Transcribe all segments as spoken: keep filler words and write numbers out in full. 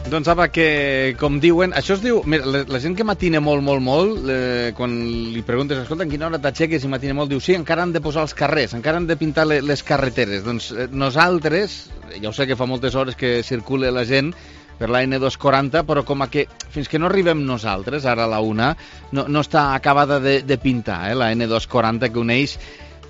Doncs apa, que com diuen, això es diu, mira, la, la gent que matina molt, molt, molt, eh, quan li preguntes, escolta, en quina hora t'aixeques i matina molt, diu, sí, encara han de posar els carrers, encara han de pintar les, les carreteres. Doncs eh, nosaltres, ja ho sé que fa moltes hores que circula la gent per la ene dos quaranta, però com a que fins que no arribem nosaltres, ara a la una, no, no està acabada de, de pintar, eh, la ene dos quaranta que uneix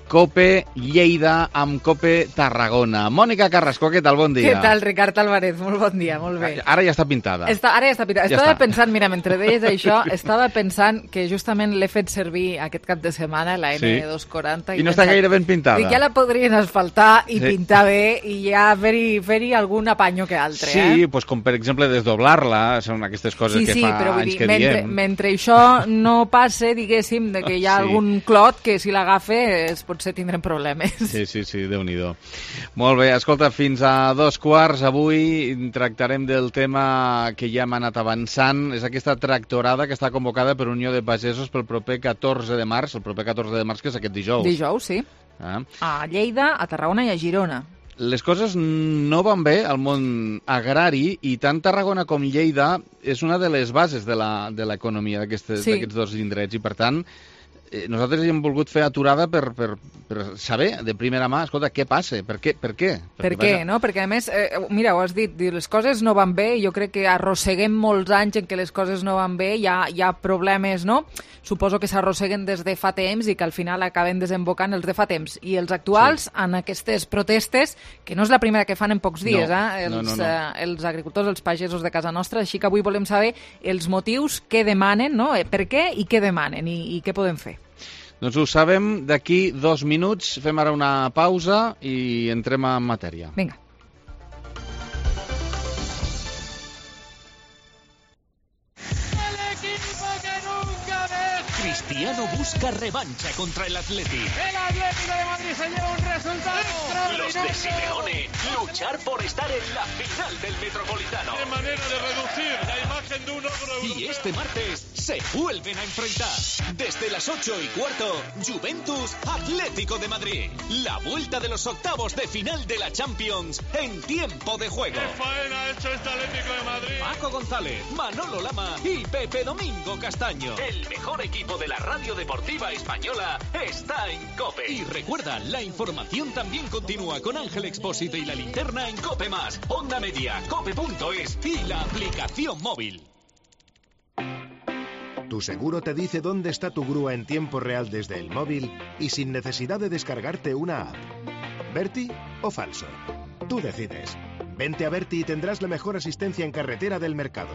Cope Lleida amb Cope Tarragona. Mònica Carrasco, què tal? Bon dia. Què tal, Ricard Álvarez? Molt bon dia, molt bé. Ara ja està pintada. Està, ara ja està pintada. Ja estava està. pensant, mira, mentre deies això, estava pensant que justament l'he fet servir aquest cap de setmana, la ene dos quaranta. Sí. I no està gaire ben pintada. I ja la podrien asfaltar i sí. pintar bé i ja fer-hi fer-hi algun apanyo que altre. Sí, eh? pues com per exemple desdoblar-la, són aquestes coses sí, que sí, fa però vull anys dir, que mentre, diem. Mentre això no passe, diguéssim, de que hi ha Sí. algun clot que si l'agafa es potser tindrem problemes. Sí, sí, sí, Déu-n'hi-do. Molt bé, escolta, fins a dos quarts avui tractarem del tema que ja hem anat avançant. És aquesta tractorada que està convocada per Unió de Pagesos pel proper catorze de març, el proper catorze de març, que és aquest dijous. Dijous, sí. Ah. A Lleida, a Tarragona i a Girona. Les coses no van bé al món agrari i tant Tarragona com Lleida és una de les bases de l'economia d'aquests sí. dos indrets i, per tant, nosaltres hem volgut fer aturada per, per, per saber de primera mà, escolta, què passa? Per què? Per què, per què no? Perquè a més, eh, mira, ho has dit, les coses no van bé, jo crec que arrosseguem molts anys en què les coses no van bé, hi ha, hi ha problemes, no? Suposo que s'arrosseguen des de fa temps i que al final acaben desembocant els de fa temps. I els actuals, sí. en aquestes protestes, que no és la primera que fan en pocs dies, no, eh? Els, no, no, no. Eh, els agricultors, els pagesos de casa nostra, així que avui volem saber els motius que demanen, no? Per què i què demanen i, i què podem fer. Doncs ho sabem d'aquí dos minuts. Fem ara una pausa i entrem en matèria. Vinga. Cristiano busca revancha contra el Atleti. El Atlético de Madrid se lleva un resultado extraordinario. Los de Simeone luchar por estar en la final del Metropolitano. De manera de reducir la imagen de un ogro europeo. Y este martes se vuelven a enfrentar. Desde las ocho y cuarto, Juventus Atlético de Madrid. La vuelta de los octavos de final de la Champions en tiempo de juego. ¿Qué faena ha hecho este Atlético de Madrid? Paco González, Manolo Lama y Pepe Domingo Castaño. El mejor equipo de la radio deportiva española está en COPE. Y recuerda, la información también continúa con Ángel Expósito y la linterna en COPE más, Onda Media, cope punto es y la aplicación móvil. Tu seguro te dice dónde está tu grúa en tiempo real desde el móvil y sin necesidad de descargarte una app. ¿Berti o falso? Tú decides. Vente a Berti y tendrás la mejor asistencia en carretera del mercado.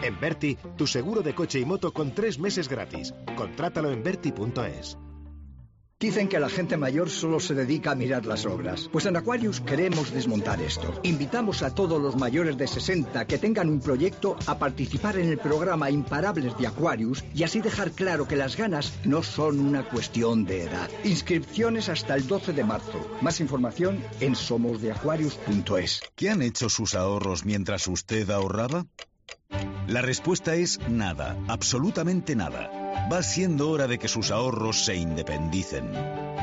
En Berti, tu seguro de coche y moto con tres meses gratis. Contrátalo en berti punto es. Dicen que la gente mayor solo se dedica a mirar las obras. Pues en Aquarius queremos desmontar esto. Invitamos a todos los mayores de sesenta que tengan un proyecto a participar en el programa Imparables de Aquarius y así dejar claro que las ganas no son una cuestión de edad. Inscripciones hasta el doce de marzo. Más información en somos de aquarius punto es. ¿Qué han hecho sus ahorros mientras usted ahorraba? La respuesta es nada, absolutamente nada. Va siendo hora de que sus ahorros se independicen.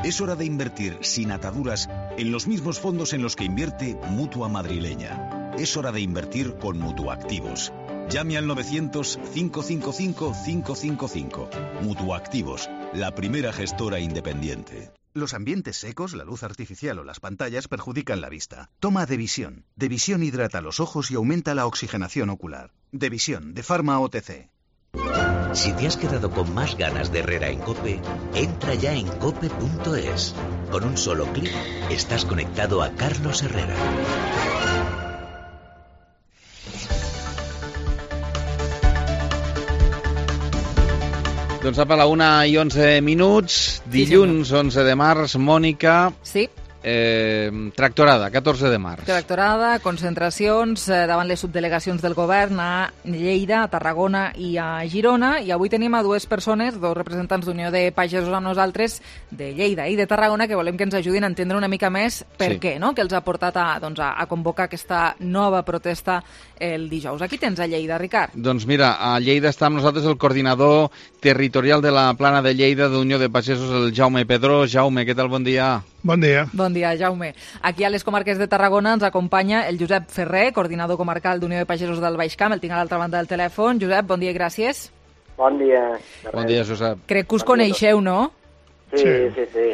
Es hora de invertir sin ataduras en los mismos fondos en los que invierte Mutua Madrileña. Es hora de invertir con Mutuactivos. Llame al novecientos, cinco cinco cinco, cinco cinco cinco. Mutuactivos, la primera gestora independiente. Los ambientes secos, la luz artificial o las pantallas perjudican la vista. Toma Devisión. Devisión hidrata los ojos y aumenta la oxigenación ocular. Devisión, de Pharma O T C. Si te has quedado con más ganas de Herrera en COPE, entra ya en cope punto es. Con un solo clic estás conectado a Carlos Herrera. Doncs apa, a la una i onze minuts, dilluns onze de març, Mònica. Sí. Eh, tractorada, catorze de març. Tractorada, concentracions eh, davant les subdelegacions del govern a Lleida, a Tarragona i a Girona, i avui tenim a dues persones, dos representants d'Unió de Pagesos amb nosaltres, de Lleida i de Tarragona, que volem que ens ajudin a entendre una mica més per sí. què, no?, que els ha portat a, doncs, a, a convocar aquesta nova protesta el dijous. Aquí tens a Lleida, Ricard. Doncs mira, a Lleida està amb nosaltres el coordinador territorial de la Plana de Lleida d'Unió de Pagesos, el Jaume Pedró. Jaume, què tal? Bon dia. Bon dia. Bon dia, Jaume. Aquí a les comarques de Tarragona ens acompanya el Josep Ferrer, coordinador comarcal d'Unió de Pagesos del Baix Camp. El tinc a l'altra banda del telèfon. Josep, bon dia i gràcies. Bon dia. Bon dia, Josep. Crec que us bon coneixeu, no? Sí, sí, sí.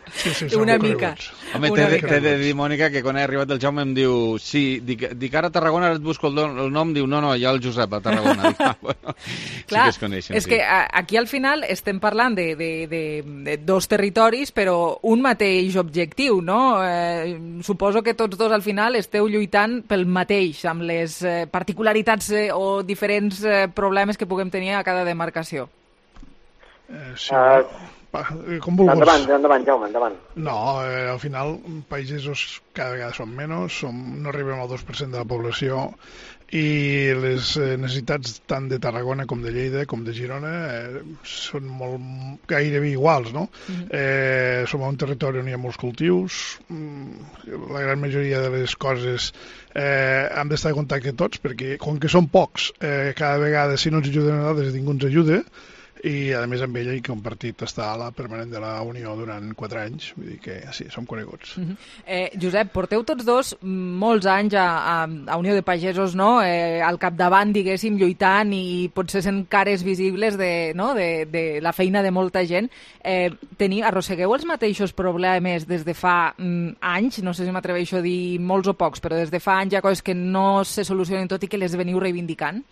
sí, sí una mica. Home, t'he de dir, Mònica, que quan he arribat el Jaume em diu sí, dic, dic ara a Tarragona, ara et busco el, don, el nom, diu no, no, hi ha el Josep a Tarragona. Dic, ah, bueno, clar, sí que es coneixen. És sí. que a, aquí al final estem parlant de, de, de, de dos territoris, però un mateix objectiu, no? Eh, suposo que tots dos al final esteu lluitant pel mateix, amb les eh, particularitats eh, o diferents eh, problemes que puguem tenir a cada demarcació. Eh, sí, uh, va, com vulguis. Endavant, endavant, Jaume, endavant. No, eh, al final, pagesos cada vegada són menys, som, no arribem al dos per cent de la població i les eh, necessitats tant de Tarragona com de Lleida com de Girona eh, són molt, gairebé iguals, no? Mm-hmm. eh, som un territori on hi ha molts cultius, la gran majoria de les coses eh, hem d'estar en contacte tots perquè com que són pocs, eh, cada vegada si no ens ajuden a nosaltres ningú ens ajuda i a més amb ella he compartit estar a la permanent de la Unió durant quatre anys, vull dir que sí, som coneguts. Uh-huh. eh, Josep, porteu tots dos molts anys a, a, a Unió de Pagesos, no? Eh, al capdavant, diguéssim, lluitant i potser sent cares visibles de, no? de, de la feina de molta gent. Eh, teniu, arrossegueu els mateixos problemes des de fa mm, anys? No sé si m'atreveixo a dir molts o pocs, però des de fa anys hi ha coses que no se solucionen tot i que les veniu reivindicant?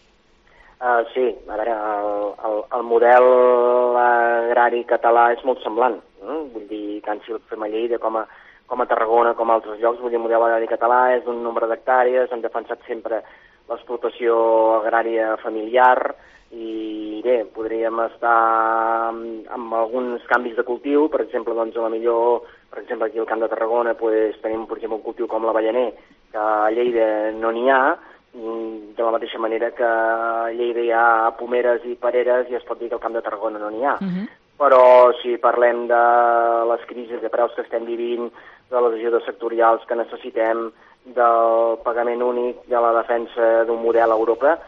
Uh, sí, a veure, el, el, el model agrari català és molt semblant. Eh? Vull dir, tant si el fem a Lleida com a, com a Tarragona, com a altres llocs, vull dir, el model agrari català és d'un nombre d'hectàrees, hem defensat sempre l'explotació agrària familiar i bé, podríem estar amb, amb alguns canvis de cultiu, per exemple, doncs a la millor, per exemple, aquí al Camp de Tarragona pues, tenim, per exemple, un cultiu com l'avellaner, que a Lleida no n'hi ha, de la mateixa manera que a Lleida hi ha pomeres i pereres i es pot dir que al Camp de Tarragona no n'hi ha. Uh-huh. Però si parlem de les crisis de preus que estem vivint, de les ajudes sectorials que necessitem, del pagament únic, de la defensa d'un model a Europa,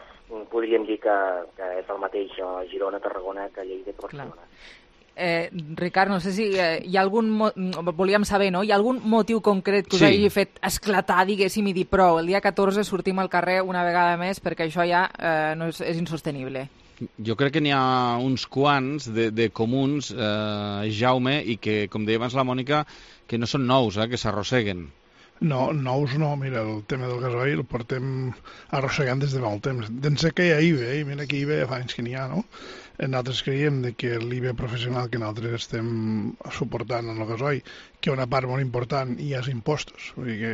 podríem dir que, que és el mateix a Girona, Tarragona, que a Lleida, que Barcelona. Clar. Eh, Ricard, no sé si eh, hi ha algun... Mo volíem saber, no? Hi ha algun motiu concret que us sí. hagi fet esclatar, diguéssim, i dir prou, el dia catorze sortim al carrer una vegada més perquè això ja eh, no és, és insostenible? Jo crec que n'hi ha uns quants de, de comuns, eh, Jaume, i que, com deia abans la Mònica, que no són nous, eh, que s'arrosseguen. No, nous no, mira, el tema del gasoil el portem arrossegant des de molt temps. D'ençà que hi ha I V E, i mira que I V E fa anys que n'hi ha, no? Nosaltres creiem que l'I V E professional que nosaltres estem suportant en el gasoil, que una part molt important hi ha impostos. Vull dir que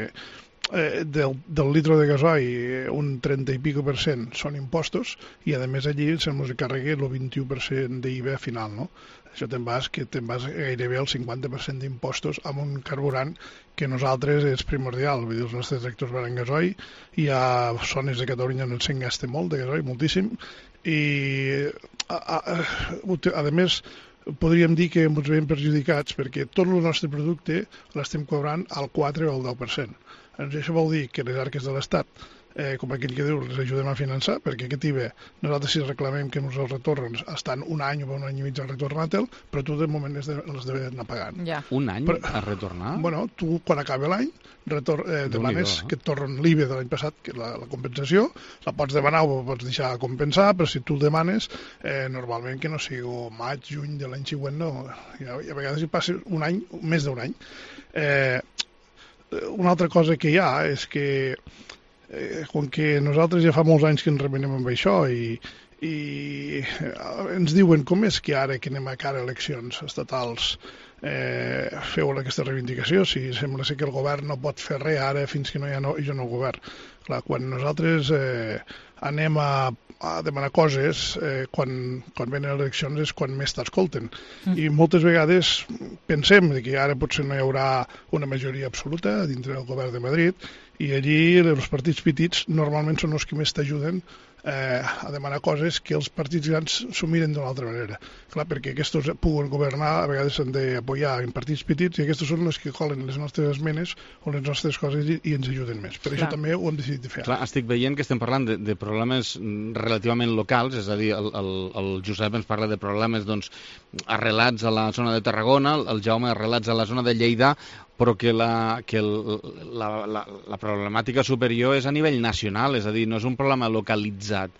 eh, del, del litro de gasoil un trenta i pico per cent són impostos i a més allí se'ns carrega el vint-i-u per cent d'I V E final, no? Això te'n vas, que te'n vas gairebé al cinquanta per cent d'impostos amb un carburant que nosaltres és primordial. Vull dir, els nostres tractors van en gasoil, hi ha zones de Catalunya on se'n gasta molt de gasoil, moltíssim, i a, a, a, a més podríem dir que ens veiem perjudicats perquè tot el nostre producte l'estem cobrant al quatre o al deu per cent. Això vol dir que les arques de l'Estat, eh, com aquell que diu, les ajudem a finançar, perquè aquest I V E, nosaltres si reclamem que ens el retornen, estan un any o un any i mig a retornar-te'l, però tu de moment les d'haver-ne pagant. Ja. Un any però, a retornar? Bueno, tu quan acaba l'any eh, demanes eh? que et tornen l'I V E de l'any passat, que la, la compensació, la pots demanar o pots deixar compensar, però si tu el demanes, eh, normalment que no sigui maig, juny de l'any següent, no. I a, i a vegades hi passa un any, més d'un any. Eh, una altra cosa que hi ha és que Eh, com que nosaltres ja fa molts anys que ens remenem amb això i, i ens diuen com és que ara que anem a cara a eleccions estatals eh, feu aquesta reivindicació, si sembla ser que el govern no pot fer res ara fins que no hi ha no, jo no el govern. Clar, quan nosaltres eh, anem a, a demanar coses, eh, quan, quan venen eleccions és quan més t'escolten. Mm. I moltes vegades pensem que ara potser no hi haurà una majoria absoluta dintre del govern de Madrid i allí els partits petits normalment són els que més t'ajuden eh, a demanar coses que els partits grans s'ho miren d'una altra manera. Clar, perquè aquests puguen governar, a vegades s'han d'apoyar en partits petits, i aquests són els que colen les nostres esmenes o les nostres coses i, i ens ajuden més. Per Clar. Això també ho hem decidit de fer. Clar, estic veient que estem parlant de, de problemes relativament locals, és a dir, el, el, el Josep ens parla de problemes doncs, arrelats a la zona de Tarragona, el Jaume arrelats a la zona de Lleida, però que, la, que el, la, la, la problemàtica superior és a nivell nacional, és a dir, no és un problema localitzat.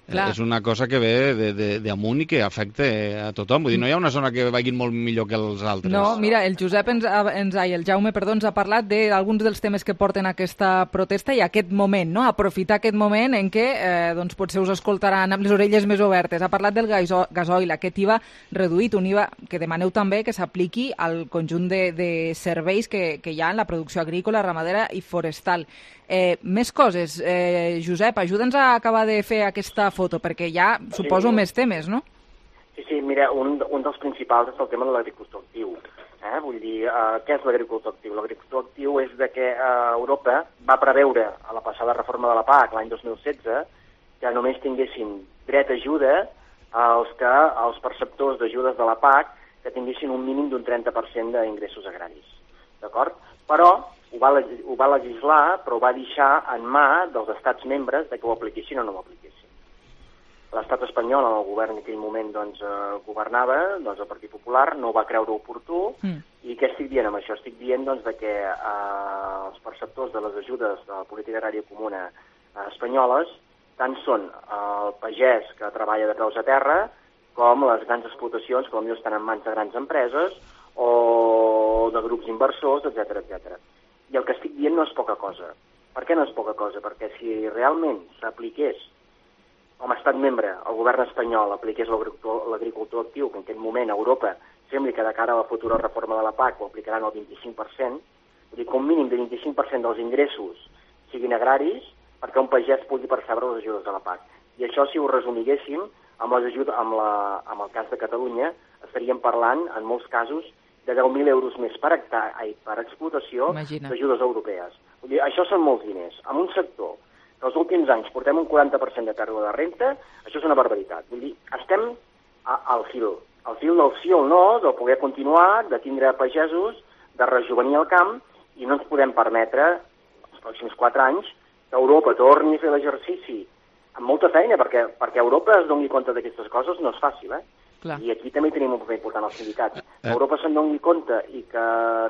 Clar. És una cosa que ve d'amunt i que afecta a tothom. Vull dir, no hi ha una zona que vagin molt millor que els altres. No, mira, el Josep ens, ens ai, el Jaume, perdó, ens ha parlat d'alguns dels temes que porten aquesta protesta i aquest moment, no? Aprofitar aquest moment en què eh, doncs potser us escoltaran amb les orelles més obertes. Ha parlat del gasoil, aquest I V A reduït, un I V A que demaneu també que s'apliqui al conjunt de, de serveis que, que hi ha en la producció agrícola, ramadera i forestal. Eh, més coses. Eh, Josep, ajuda'ns a acabar de fer aquesta foto, perquè ja suposo sí. més temes, no? Sí, sí, mira, un, un dels principals és el tema de l'agricultor actiu. Eh? Vull dir, eh, què és l'agricultor actiu? L'agricultor actiu és de que eh, Europa va preveure a la passada reforma de la P A C l'any dos mil setze que només tinguessin dret a ajuda als, que, als perceptors d'ajudes de la P A C que tinguessin un mínim d'un trenta per cent d'ingressos agraris. D'acord? Però ho va, ho va legislar, però ho va deixar en mà dels estats membres de que ho apliquessin o no ho apliquessin. L'estat espanyol, en el govern en aquell moment doncs, eh, governava, doncs el Partit Popular no ho va creure oportú, mm. i què estic dient amb això? Estic dient doncs, de que eh, els perceptors de les ajudes de la política agrària comuna eh, espanyoles tant són el pagès que treballa de peus a terra com les grans explotacions que potser estan en mans de grans empreses o de grups inversors, etcètera, etcètera. I el que estic dient no és poca cosa. Per què no és poca cosa? Perquè si realment s'apliqués, com a estat membre, el govern espanyol apliqués l'agricultor actiu, que en aquest moment a Europa sembla que de cara a la futura reforma de la P A C ho aplicaran al vint-i-cinc per cent, vull dir que un mínim de vint-i-cinc per cent dels ingressos siguin agraris perquè un pagès pugui percebre les ajudes de la P A C. I això, si ho resumiguéssim, amb, les ajudes, amb, la, amb el cas de Catalunya, estaríem parlant, en molts casos, de deu mil euros més per, hectar, ai, per explotació d'ajudes europees. Vull dir, això són molts diners. En un sector que els últims anys portem un quaranta per cent de pèrdua de renta, això és una barbaritat. Vull dir, estem a, al fil, al fil del sí o no, de poder continuar, de tindre pagesos, de rejuvenir el camp, i no ens podem permetre, els pròxims quatre anys, que Europa torni a fer l'exercici amb molta feina, perquè, perquè Europa es doni compte d'aquestes coses no és fàcil, eh? Clar. I aquí també tenim un paper important als sindicats. Eh. Europa se'n doni compte i que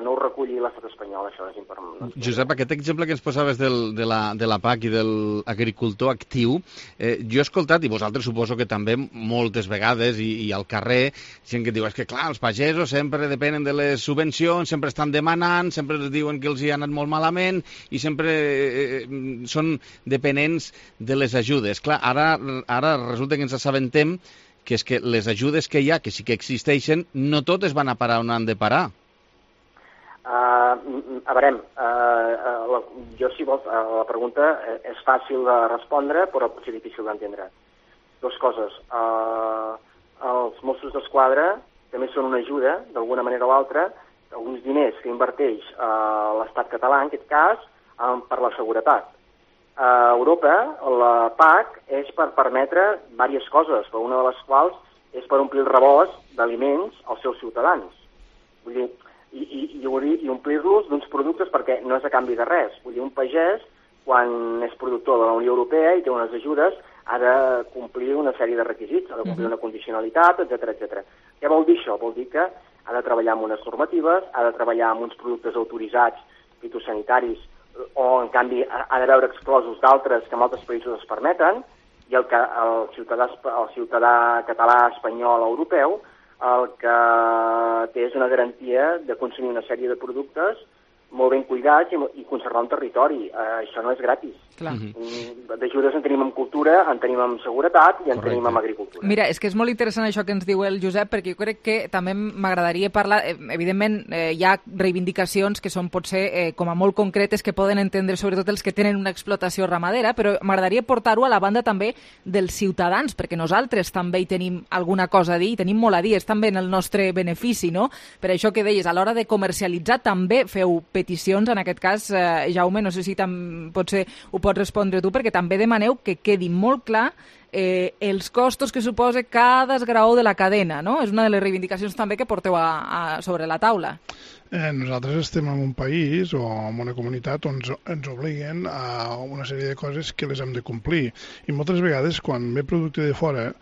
no ho reculli l'estat espanyol, això és important. Josep, aquest exemple que ens posaves del, de, la, de la P A C i de l'agricultor actiu, eh, jo he escoltat, i vosaltres suposo que també moltes vegades, i, i al carrer, gent que diu, és que clar, els pagesos sempre depenen de les subvencions, sempre estan demanant, sempre els diuen que els hi ha anat molt malament, i sempre eh, són dependents de les ajudes. Clar, ara, ara resulta que ens assabentem que és que les ajudes que hi ha, que sí que existeixen, no totes van a parar on han de parar. Uh, a veure, uh, la, jo si vols, uh, la pregunta és fàcil de respondre, però pot ser difícil d'entendre. Dos coses. Uh, els Mossos d'Esquadra també són una ajuda, d'alguna manera o altra, alguns diners que inverteix uh, l'estat català, en aquest cas, um, per la seguretat. A Europa, la P A C és per permetre diverses coses, però una de les quals és per omplir el rebost d'aliments als seus ciutadans. Vull dir, i, i, i omplir-los d'uns productes perquè no és a canvi de res. Vull dir, un pagès, quan és productor de la Unió Europea i té unes ajudes, ha de complir una sèrie de requisits, ha de complir una condicionalitat, etcètera, etcètera. Què vol dir això? Vol dir que ha de treballar amb unes normatives, ha de treballar amb uns productes autoritzats fitosanitaris, o en canvi ha de veure exclosos d'altres que en altres països es permeten, i el, que, el, ciutadà, el ciutadà català, espanyol, europeu, el que té és una garantia de consumir una sèrie de productes molt ben cuidats i, i conservar un territori. Uh, això no és gratis. Clar. D'ajudes en tenim en cultura, en tenim en seguretat i en Correcte. Tenim en agricultura. Mira, és que és molt interessant això que ens diu el Josep, perquè jo crec que també m'agradaria parlar, eh, evidentment eh, hi ha reivindicacions que són potser eh, com a molt concretes que poden entendre sobretot els que tenen una explotació ramadera, però m'agradaria portar-ho a la banda també dels ciutadans, perquè nosaltres també hi tenim alguna cosa a dir, i tenim molt a dir, és també en el nostre benefici, no? Per això que deies, a l'hora de comercialitzar també feu peticions, en aquest cas, eh, Jaume, no sé si tam, potser ho pots respondre tu, perquè també demaneu que quedi molt clar eh, els costos que suposa cada esgraó de la cadena, no? És una de les reivindicacions també que porteu a, a, sobre la taula. Eh, nosaltres estem en un país o en una comunitat on ens, ens obliguen a una sèrie de coses que les hem de complir. I moltes vegades, quan ve producte de fora,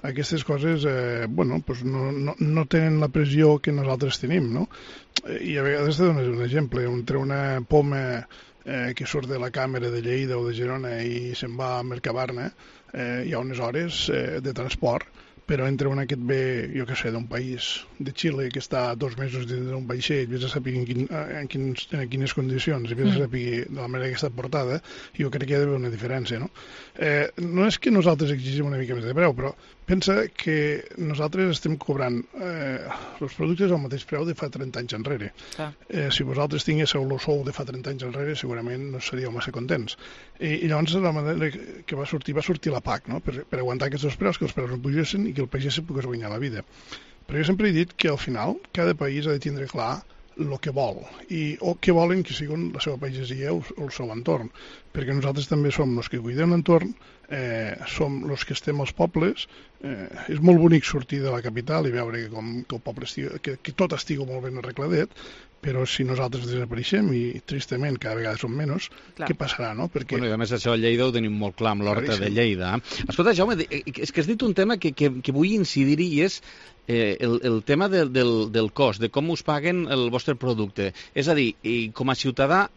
aquestes coses eh, bueno, pues no, no, no tenen la pressió que nosaltres tenim, no? I a vegades te dones un exemple, entre una poma eh, que surt de la càmera de Lleida o de Girona i se'n va a Mercabarna, eh, hi ha unes hores eh, de transport, però entre una que et ve, jo què sé, d'un país de Xile que està dos mesos dins d'un vaixell, vés a saber en, quin, en, quins, en quines condicions, i vés a saber de la manera que està portada, jo crec que hi ha d'haver una diferència, no? Eh, no és que nosaltres exigim una mica més de preu, però pensa que nosaltres estem cobrant eh, els productes al mateix preu de fa trenta anys enrere. Ah. Eh, si vosaltres tinguéssiu el sou de fa trenta anys enrere, segurament no seríeu massa contents. I, i llavors la manera que va sortir, va sortir la P A C, no? per, per aguantar aquests preus, que els preus no pugessin i que el pagès se pogués guanyar la vida. Però jo sempre he dit que al final cada país ha de tindre clar el que vol i o que volen que siguin la seva pagesia o el seu entorn, perquè nosaltres també som els que cuidem l'entorn, eh, som els que estem als pobles. Eh, és molt bonic sortir de la capital i veure com, que, el poble estigui, que, que tot estigui molt ben arregladet, però si nosaltres desapareixem i tristament cada vegada som menys, clar, què passarà, no? Perquè... Bueno, i a més això a Lleida ho tenim molt clar amb l'horta de Lleida. Escolta, Jaume, és que has dit un tema que, que, que vull incidir-hi i és eh, el, el tema de, del, del cost, de com us paguen el vostre producte. És a dir, i com a ciutadà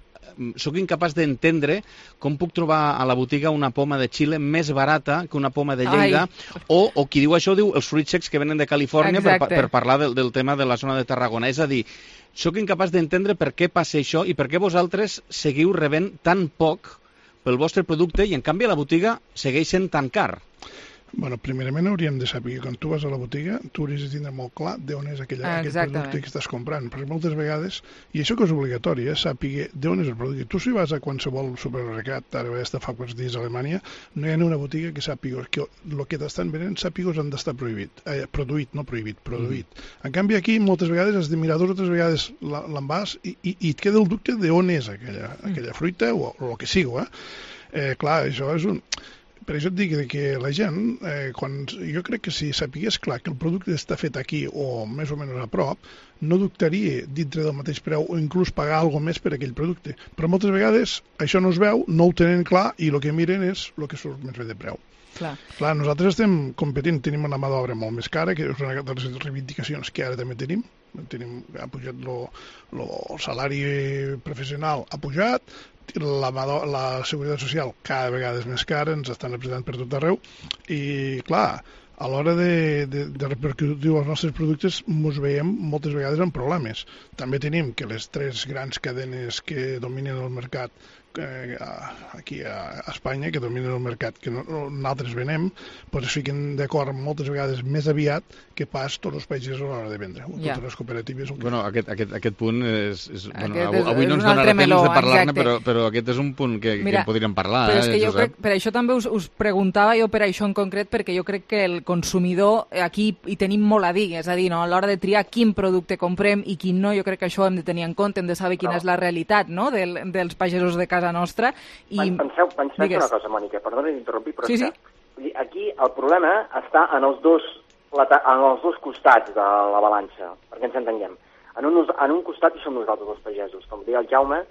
sóc incapaç d'entendre com puc trobar a la botiga una poma de Xile més barata que una poma de Lleida, o, o qui diu això diu els fruits secs que venen de Califòrnia per, per parlar del, del tema de la zona de Tarragona. És a dir, sóc incapaç d'entendre per què passa això i per què vosaltres seguiu rebent tan poc pel vostre producte i en canvi a la botiga segueix sent tan car. Bueno, primerament hauríem de saber que quan tu vas a la botiga tu hauries de tindre molt clar d'on és aquell, aquell producte que estàs comprant, perquè moltes vegades, i això que és obligatori, eh, saber d'on és el producte. Tu si vas a qualsevol supermercat, ara vaig estar fa quants dies a Alemanya, no hi ha una botiga que sàpiga que el que t'estan venent sàpigos han d'estar prohibit, eh, produït, no prohibit, produït. Mm. En canvi aquí moltes vegades has de mirar dues o tres vegades l'envàs i, i, i et queda el dubte d'on és aquella, aquella fruita o, o el que sigui, eh? Eh, clar, això és un... Per això et dic que la gent, eh, quan, jo crec que si sapigués clar que el producte està fet aquí o més o menys a prop, no dubtaria dintre del mateix preu o inclús pagar alguna més per aquell producte. Però moltes vegades això no es veu, no ho tenen clar i el que miren és el que surt més bé de preu. Clar. Clar, nosaltres estem competint, tenim una mà d'obra molt més cara, que és una de les reivindicacions que ara també tenim. tenim ha pujat lo, lo, el salari professional, ha pujat, la, la seguretat social cada vegada és més cara, ens estan apretant per tot arreu i clar, a l'hora de, de, de repercutir els nostres productes ens veiem moltes vegades amb problemes. També tenim que les tres grans cadenes que dominen el mercat eh, aquí a Espanya, que dominen el mercat que no, nosaltres venem, doncs es fiquen d'acord moltes vegades més aviat que pas tots els països a l'hora de vendre. Ja. Totes les cooperatives... Bueno, aquest, aquest, aquest punt és... és, bueno, és avui és no ens donarà temps meló, de parlar-ne, però, però aquest és un punt que, Mira, que podríem parlar. Però és que eh, jo crec, per això també us, us preguntava jo per això en concret, perquè jo crec que el consumidor aquí hi tenim molt a dir, és a dir, no? A l'hora de triar quin producte comprem i quin no, jo crec que això hem de tenir en compte, hem de saber quina no. és la realitat, no?, Del, dels pagesos de casa nostra. I... Penseu, penseu una cosa, Mònica, perdona d'interrompir, però sí, és que sí? aquí el problema està en els dos en els dos costats de la balança, perquè ens entenguem. En un, en un costat hi som nosaltres els pagesos, com deia el Jaume,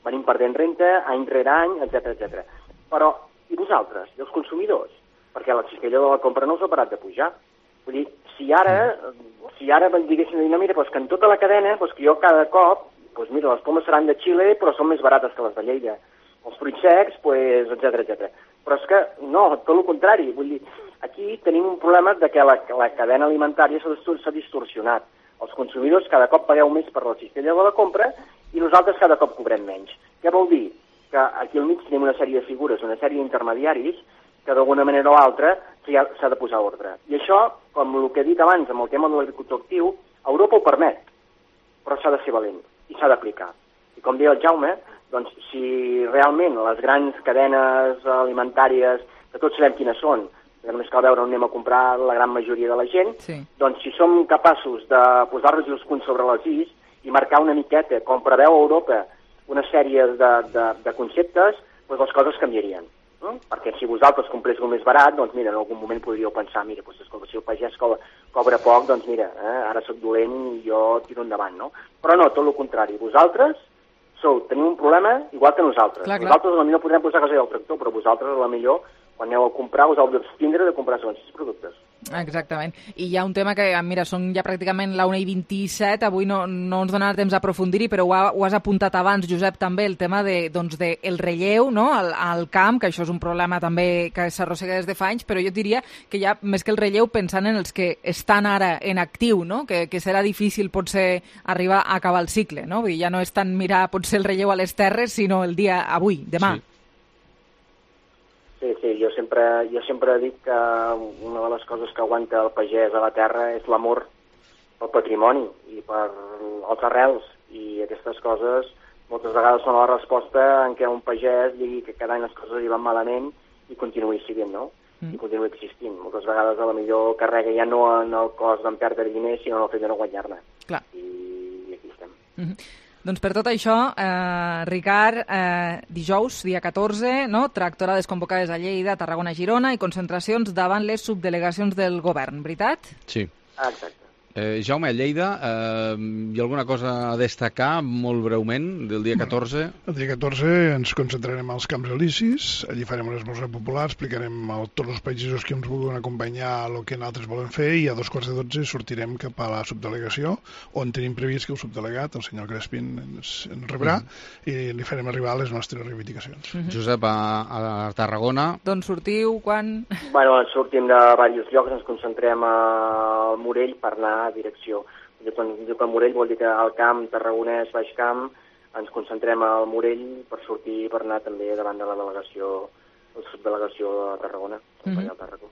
venim perdent renta any rere any, etcètera, etcètera. Però, i vosaltres, i els consumidors? Perquè la cistella de la compra no us ha parat de pujar. Vull dir, si ara, si ara diguéssim, no, mira, doncs que en tota la cadena, doncs que jo cada cop, doncs mira, les pomes seran de Xile, però són més barates que les de Lleida. Els fruits secs, doncs, etcètera, etcètera. Però és que, no, tot el contrari, vull dir, aquí tenim un problema de que la, la cadena alimentària s'ha distorsionat. Els consumidors cada cop pagueu més per la cistella de la compra i nosaltres cada cop cobrem menys. Què vol dir? Que aquí al mig tenim una sèrie de figures, una sèrie d'intermediaris que d'alguna manera o altra s'ha de posar ordre. I això, com el que he dit abans amb el tema de l'agricultor actiu, Europa ho permet, però s'ha de ser valent i s'ha d'aplicar. I com deia el Jaume, doncs si realment les grans cadenes alimentàries, que tots sabem quines són, que només cal veure on anem a comprar la gran majoria de la gent, sí. Doncs si som capaços de posar-nos els punts sobre les is i marcar una miqueta, com preveu Europa, una sèrie de, de, de conceptes, doncs les coses canviarien. No? Perquè si vosaltres compréssiu més barat, doncs mira, en algun moment podríeu pensar, mira, doncs, escolta, si el pagès cobra, cobra poc, doncs mira, eh, ara soc dolent i jo tiro endavant, no? Però no, tot el contrari. Vosaltres sou, teniu un problema igual que nosaltres. Clar, clar. Nosaltres potser podrem posar gasoil al tractor, però vosaltres a la millor, quan aneu a comprar, us heu d'abstindre de comprar segons quins productes. Exactament. I hi ha un tema que, mira, són ja pràcticament la una i vint-i-set, avui no, no ens donarà temps a aprofundir-hi, però ho, ha, ho has apuntat abans, Josep, també, el tema de, doncs, de el relleu, no?, al, al camp, que això és un problema també que s'arrossega des de fa anys, però jo diria que ja, més que el relleu, pensant en els que estan ara en actiu, no?, que, que serà difícil potser arribar a acabar el cicle, no?, vull dir, ja no és tant mirar potser el relleu a les terres, sinó el dia avui, demà. Sí. Sí, sí, jo sempre, jo sempre dic que una de les coses que aguanta el pagès a la terra és l'amor pel patrimoni i per els arrels, i aquestes coses moltes vegades són la resposta en què un pagès digui que cada any les coses li van malament i continuï siguent, no? Mm. I continuï existint. Moltes vegades a la millor carrega ja no en el cost d'en perdre diners, sinó en el fet de no guanyar-ne. Clar. I, I aquí estem. Mm-hmm. Doncs per tot això, eh, Ricard, eh, dijous, dia catorze, no? Tractorades convocades a Lleida, Tarragona, Girona i concentracions davant les subdelegacions del govern, veritat? Sí. Exacte. Eh, Jaume, a Lleida, eh, hi ha alguna cosa a destacar, molt breument, del dia catorze? El dia catorze ens concentrarem als Camps Elisis, allí farem un esmorzar popular, explicarem a tots els pagesos que ens vulguin acompanyar el que nosaltres volem fer, i a dos quarts de dotze sortirem cap a la subdelegació, on tenim previst que el subdelegat, el senyor Crespin, ens, ens rebrà, mm-hmm. i li farem arribar les nostres reivindicacions. Mm-hmm. Josep, a, a Tarragona... D'on sortiu, quan...? Bueno, sortim de diversos llocs, ens concentrem al Morell per anar a direcció. Quan diu que Morell vol dir que al camp tarragonès, baix camp, ens concentrem al Morell per sortir, per anar també davant de la delegació, la subdelegació de Tarragona, acompanyar mm-hmm. el Tarragó.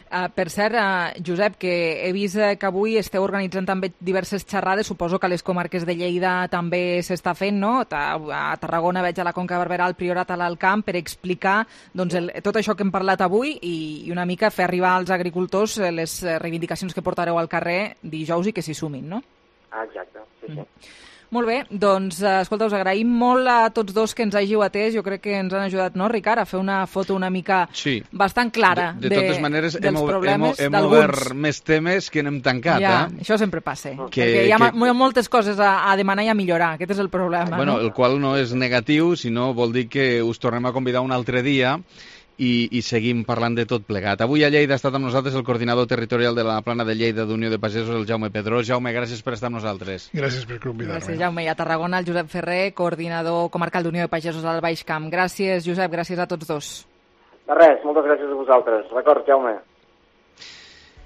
Uh, per cert, uh, Josep, que he vist uh, que avui esteu organitzant també diverses xerrades, suposo que a les comarques de Lleida també s'està fent, no? A Tarragona veig a la Conca de Barberà, al Priorat, a l'Alt Camp, per explicar doncs, el, tot això que hem parlat avui i, i una mica fer arribar als agricultors les reivindicacions que portareu al carrer dijous i que s'hi sumin, no? Ah, exacte, sí, sí. Mm. Molt bé, doncs, escolta, us agraïm molt a tots dos que ens hàgiu atès. Jo crec que ens han ajudat, no, Ricard, a fer una foto una mica sí. bastant clara de, de, de totes maneres, dels hem, problemes hem, hem obert més temes que n'hem tancat. Ja, eh? això sempre passa, que, perquè hi ha que... moltes coses a, a demanar i a millorar. Aquest és el problema. Bueno, no? El qual no és negatiu, sinó vol dir que us tornem a convidar un altre dia i, i seguim parlant de tot plegat. Avui a Lleida ha estat amb nosaltres el coordinador territorial de la Plana de Lleida d'Unió de Pagesos, el Jaume Pedrós. Jaume, gràcies per estar amb nosaltres. Gràcies per convidar-me. Gràcies, Jaume. I a Tarragona, el Josep Ferrer, coordinador comarcal d'Unió de Pagesos al Baix Camp. Gràcies, Josep, gràcies a tots dos. De res, moltes gràcies a vosaltres. D'acord, Jaume.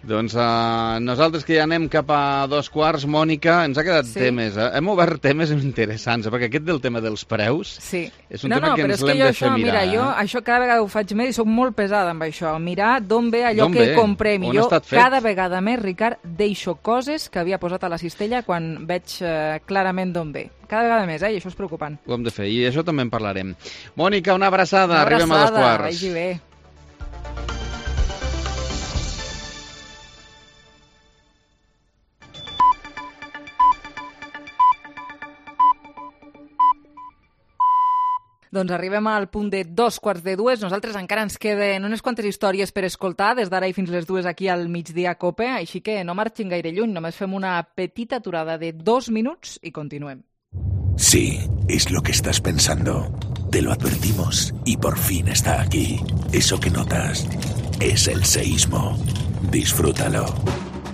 Doncs uh, nosaltres que ja anem cap a dos quarts, Mònica, ens ha quedat sí. temes, eh? Hem obert temes interessants, eh? Perquè aquest del tema dels preus sí. és un no, tema no, que ens l'hem de això, fer mirar. Mira, eh? jo això cada vegada ho faig més i soc molt pesada amb això, mirar d'on ve allò que ve? comprem. On I jo cada fet? vegada més, Ricard, deixo coses que havia posat a la cistella quan veig eh, clarament d'on ve. Cada vegada més, eh? I això és preocupant. Ho hem de fer, i això també en parlarem. Mònica, una abraçada, una arribem abraçada, a dos quarts. Vagi bé. Doncs arribem al punt de dos quarts de dues. Nosaltres encara ens queden unes quantes històries per escoltar des d'ara i fins les dues aquí al migdia Cope, així que no marxin gaire lluny, només fem una petita aturada de dos minuts i continuem. Sí, es lo que estás pensando. Te lo advertimos y por fin está aquí. Eso que notas es el seísmo. Disfrútalo.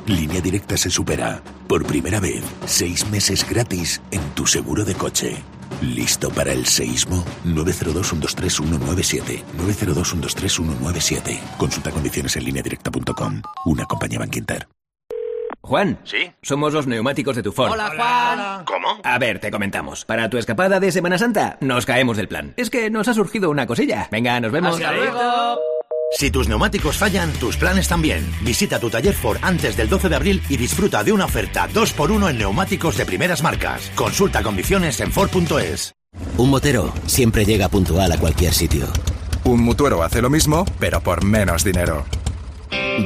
Línea Directa se supera. Por primera vez, seis meses gratis en tu seguro de coche. ¿Listo para el seísmo? nueve cero dos, uno dos tres, uno nueve siete. nueve cero dos, uno dos tres, uno nueve siete. Consulta condiciones en línea directa punto com. Una compañía Bankinter. Juan. ¿Sí? Somos los neumáticos de Tufón. Hola, Juan. ¿Cómo? A ver, te comentamos. Para tu escapada de Semana Santa, nos caemos del plan. Es que nos ha surgido una cosilla. Venga, nos vemos. Hasta luego. Si tus neumáticos fallan, tus planes también. Visita tu taller Ford antes del doce de abril y disfruta de una oferta dos por uno en neumáticos de primeras marcas. Consulta condiciones en Ford punto es. Un motero siempre llega puntual a cualquier sitio. Un mutuero hace lo mismo, pero por menos dinero.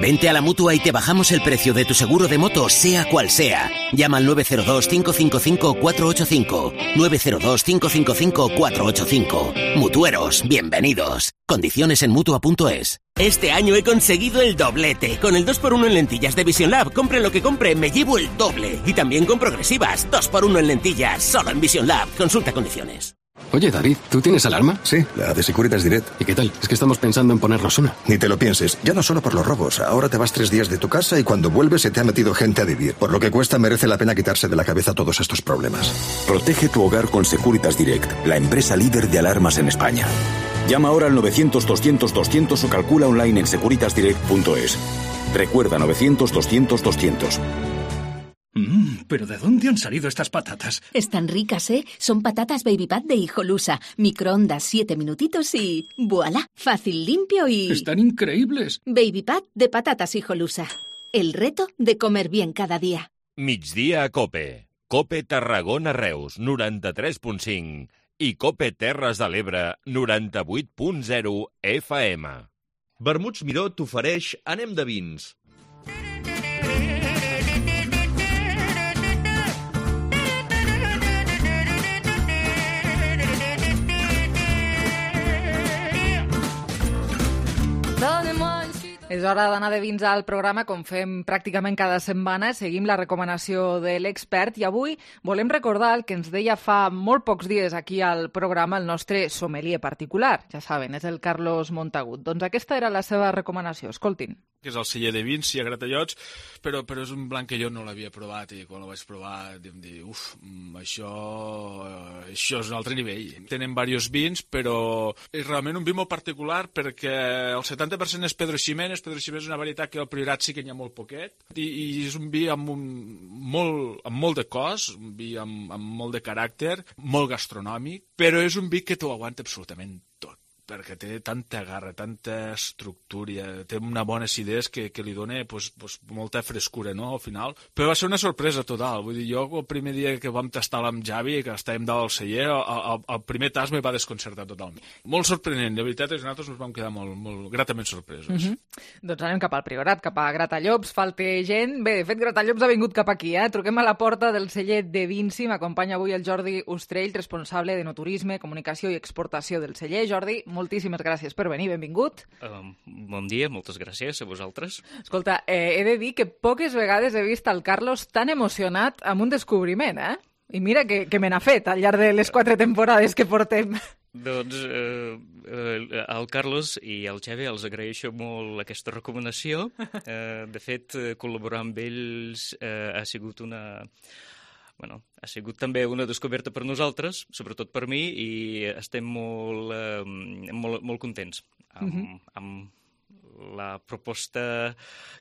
Vente a la Mutua y te bajamos el precio de tu seguro de moto, sea cual sea. Llama al nueve cero dos, cinco cinco cinco, cuatro ocho cinco. nueve cero dos, cinco cinco cinco, cuatro ocho cinco. Mutueros, bienvenidos. Condiciones en Mutua punto es. Este año he conseguido el doblete. Con el dos por uno en lentillas de Vision Lab, compre lo que compre, me llevo el doble. Y también con progresivas, dos por uno en lentillas, solo en Vision Lab. Consulta condiciones. Oye, David, ¿tú tienes alarma? Sí, la de Securitas Direct. ¿Y qué tal? Es que estamos pensando en ponernos una. Ni te lo pienses. Ya no solo por los robos. Ahora te vas tres días de tu casa y cuando vuelves se te ha metido gente a vivir. Por lo que cuesta, merece la pena quitarse de la cabeza todos estos problemas. Protege tu hogar con Securitas Direct, la empresa líder de alarmas en España. Llama ahora al novecientos, doscientos, doscientos o calcula online en securitas direct punto es. Recuerda novecientos, doscientos, doscientos. Mmm, ¿pero de dónde han salido estas patatas? Están ricas, ¿eh? Son patatas Baby Pat de Hijolusa. Microondas siete minutitos y... ¡Voilá! Fácil, limpio y... ¡Están increíbles! Baby Pat de patatas Hijolusa. El reto de comer bien cada día. Migdia a Cope. Cope Tarragona Reus, noranta-tres punt cinc. I Cope Terres de l'Ebre, noranta-vuit punt zero F M. Vermuts Miró t'ofereix Anem de vins. És hora d'anar de vins al programa, com fem pràcticament cada setmana. Seguim la recomanació de l'expert i avui volem recordar el que ens deia fa molt pocs dies aquí al programa el nostre sommelier particular. Ja saben, és el Carlos Montagut. Doncs aquesta era la seva recomanació. Escoltin. Que és el celler de vins i a gratallots, però, però és un blanc que jo no l'havia provat i quan el vaig provar vam dir, uf, això, això és un altre nivell. Tenen diversos vins, però és realment un vi molt particular perquè el setanta per cent és Pedro Ximénez. Pedro Ximénez és una varietat que al Priorat sí que n'hi ha molt poquet i, i és un vi amb, un, molt, amb molt de cos, un vi amb, amb molt de caràcter, molt gastronòmic, però és un vi que t'ho aguanta absolutament tot, perquè té tanta garra, tanta estructura, té una bona acidesa que, que li dona pues, pues, molta frescura, no?, al final. Però va ser una sorpresa total. Vull dir, jo el primer dia que vam tastar amb Javi, que estàvem dalt al celler, el, el, el primer tast me va desconcertar totalment. Molt sorprenent, de veritat, és que nosaltres ens vam quedar molt, molt gratament sorpresos. Mm-hmm. Doncs anem cap al Priorat, cap a Gratallops, falta gent. Bé, de fet, Gratallops ha vingut cap aquí, eh? Truquem a la porta del celler de Vinci. M'acompanya avui el Jordi Ostrell, responsable de no turisme, comunicació i exportació del celler. Jordi, moltíssimes gràcies per venir, benvingut. Uh, bon dia, moltes gràcies a vosaltres. Escolta, eh, he de dir que poques vegades he vist el Carlos tan emocionat amb un descobriment, eh? I mira que, que me n'ha fet al llarg de les quatre temporades que portem. Doncs eh, eh, al Carlos i al Xavi els agraeixo molt aquesta recomanació. Eh, de fet, col·laborar amb ells eh, ha sigut una... Bueno, ha sigut també una descoberta per nosaltres, sobretot per mi, i estem molt, eh, molt, molt contents amb, uh-huh. amb la proposta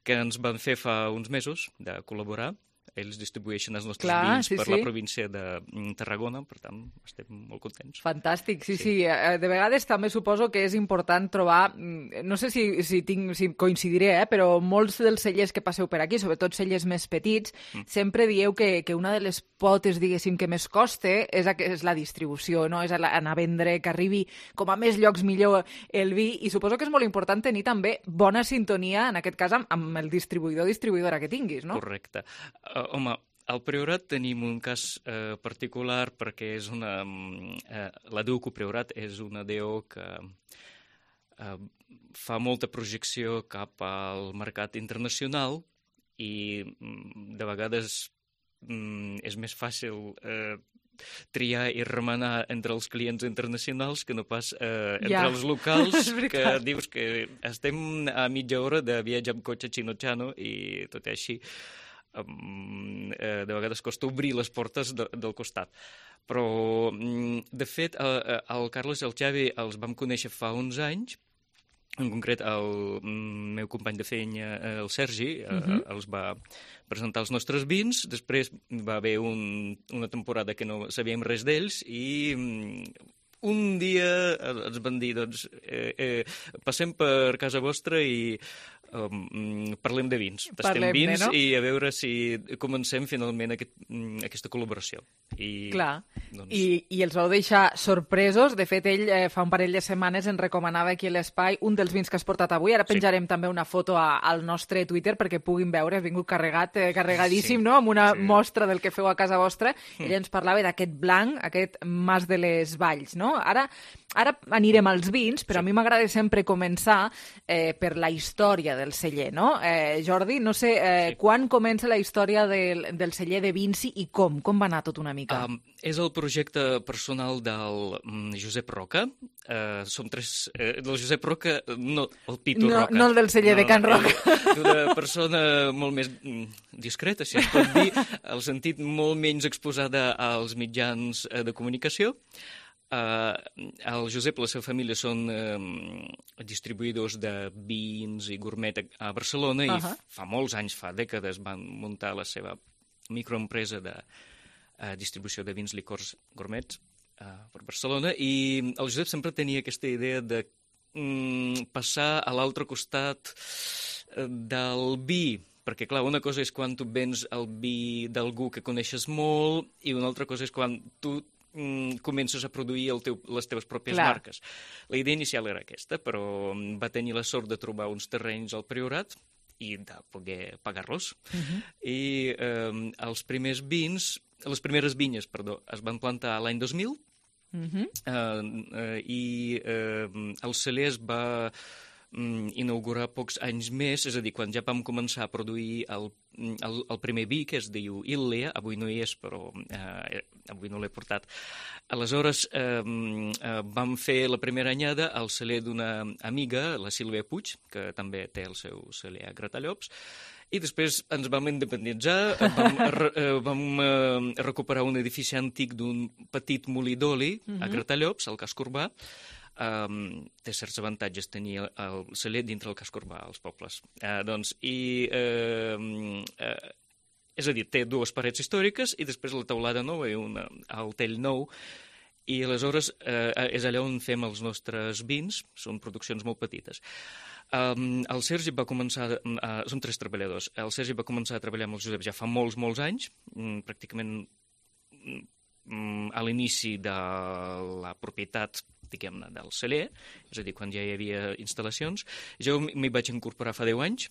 que ens van fer fa uns mesos de col·laborar. Ells distribueixen els nostres Clar, vins sí, per sí. la província de Tarragona, per tant, estem molt contents. Fantàstic, sí, sí, sí. De vegades també suposo que és important trobar, no sé si, si, tinc, si coincidiré, eh, però molts dels cellers que passeu per aquí, sobretot cellers més petits, mm. sempre dieu que, que una de les potes, diguéssim, que més costa és, és la distribució, no? És anar a vendre, que arribi com a més llocs millor el vi, i suposo que és molt important tenir també bona sintonia, en aquest cas, amb, amb el distribuïdor o distribuïdora que tinguis, no? Correcte. Uh, home, al Priorat tenim un cas eh, particular perquè és una... Eh, la D U C O Priorat és una D O que eh, fa molta projecció cap al mercat internacional i de vegades mm, és més fàcil eh, triar i remenar entre els clients internacionals que no pas eh, entre ja. els locals, que dius que estem a mitja hora de viatge amb cotxe xino-xano i tot i així Um, eh, de vegades costa obrir les portes de, del costat. Però, de fet, el, el Carlos i el Xavi els vam conèixer fa uns anys. En concret, el meu company de feina, el Sergi, uh-huh. eh, els va presentar els nostres vins. Després va haver un, una temporada que no sabíem res d'ells i un dia ens van dir, doncs, eh, eh, passem per casa vostra i um, parlem de vins. Tastem Parlem-ne, vins no? i a veure si comencem finalment aquest, aquesta col·laboració. I, Clar, doncs... I, i els vau deixar sorpresos. De fet, ell eh, fa un parell de setmanes ens recomanava aquí a l'espai un dels vins que has portat avui. Ara penjarem sí. també una foto a, al nostre Twitter perquè puguin veure. Has vingut carregat, eh, carregadíssim, sí. no? Amb una sí. mostra del que feu a casa vostra. Mm. Ell ens parlava d'aquest blanc, aquest Mas de les Valls, no? Ara, ara anirem als vins, però sí. a mi m'agrada sempre començar eh, per la història del celler, no? Eh, Jordi, no sé, eh, sí. quan comença la història del, del celler de Vinci i com? Com va anar tot una mica? Um, és el projecte personal del um, Josep Roca. Uh, som tres... Uh, del Josep Roca, no el Pitu no, Roca. No el del celler no, de Can Roca. Una persona molt més discreta, si es pot dir, al sentit molt menys exposada als mitjans de comunicació. Uh, el Josep i la seva família són uh, distribuïdors de vins i gourmet a Barcelona uh-huh. i fa molts anys, fa dècades, van muntar la seva microempresa de uh, distribució de vins, licors, gourmets uh, per Barcelona, i el Josep sempre tenia aquesta idea de um, passar a l'altre costat uh, del vi, perquè, clar, una cosa és quan tu vens el vi d'algú que coneixes molt i una altra cosa és quan tu mm, comences a produir el teu, les teves pròpies clar. marques. La idea inicial era aquesta, però va tenir la sort de trobar uns terrenys al Priorat i de poder pagar-los. Uh-huh. I eh, els primers vins, les primeres vinyes, perdó, es van plantar l'any dos mil uh-huh. eh, eh, i eh, el celler es va inaugurar pocs anys més, és a dir, quan ja vam començar a produir el, el, el primer vi, que es diu Illea, avui no hi és, però eh, avui no l'he portat. Aleshores, eh, eh, vam fer la primera anyada al celler d'una amiga, la Sílvia Puig, que també té el seu celler a Gratallops, i després ens vam independitzar, vam, re, vam eh, recuperar un edifici antic d'un petit molí d'oli uh-huh. a Gratallops, al casc urbà. Um, té certs avantatges tenir el, el celler dintre el casc urbà, als pobles. Uh, doncs, i, uh, uh, és a dir, té dues parets històriques i després la teulada nova i una, el tell nou, i aleshores uh, és allà on fem els nostres vins, són produccions molt petites. Um, el Sergi va començar, uh, som tres treballadors, el Sergi va començar a treballar amb el Josep ja fa molts, molts anys, um, pràcticament um, a l'inici de la propietat diguem-ne, del celler, és a dir, quan ja hi havia instal·lacions. Jo m'hi vaig incorporar fa deu anys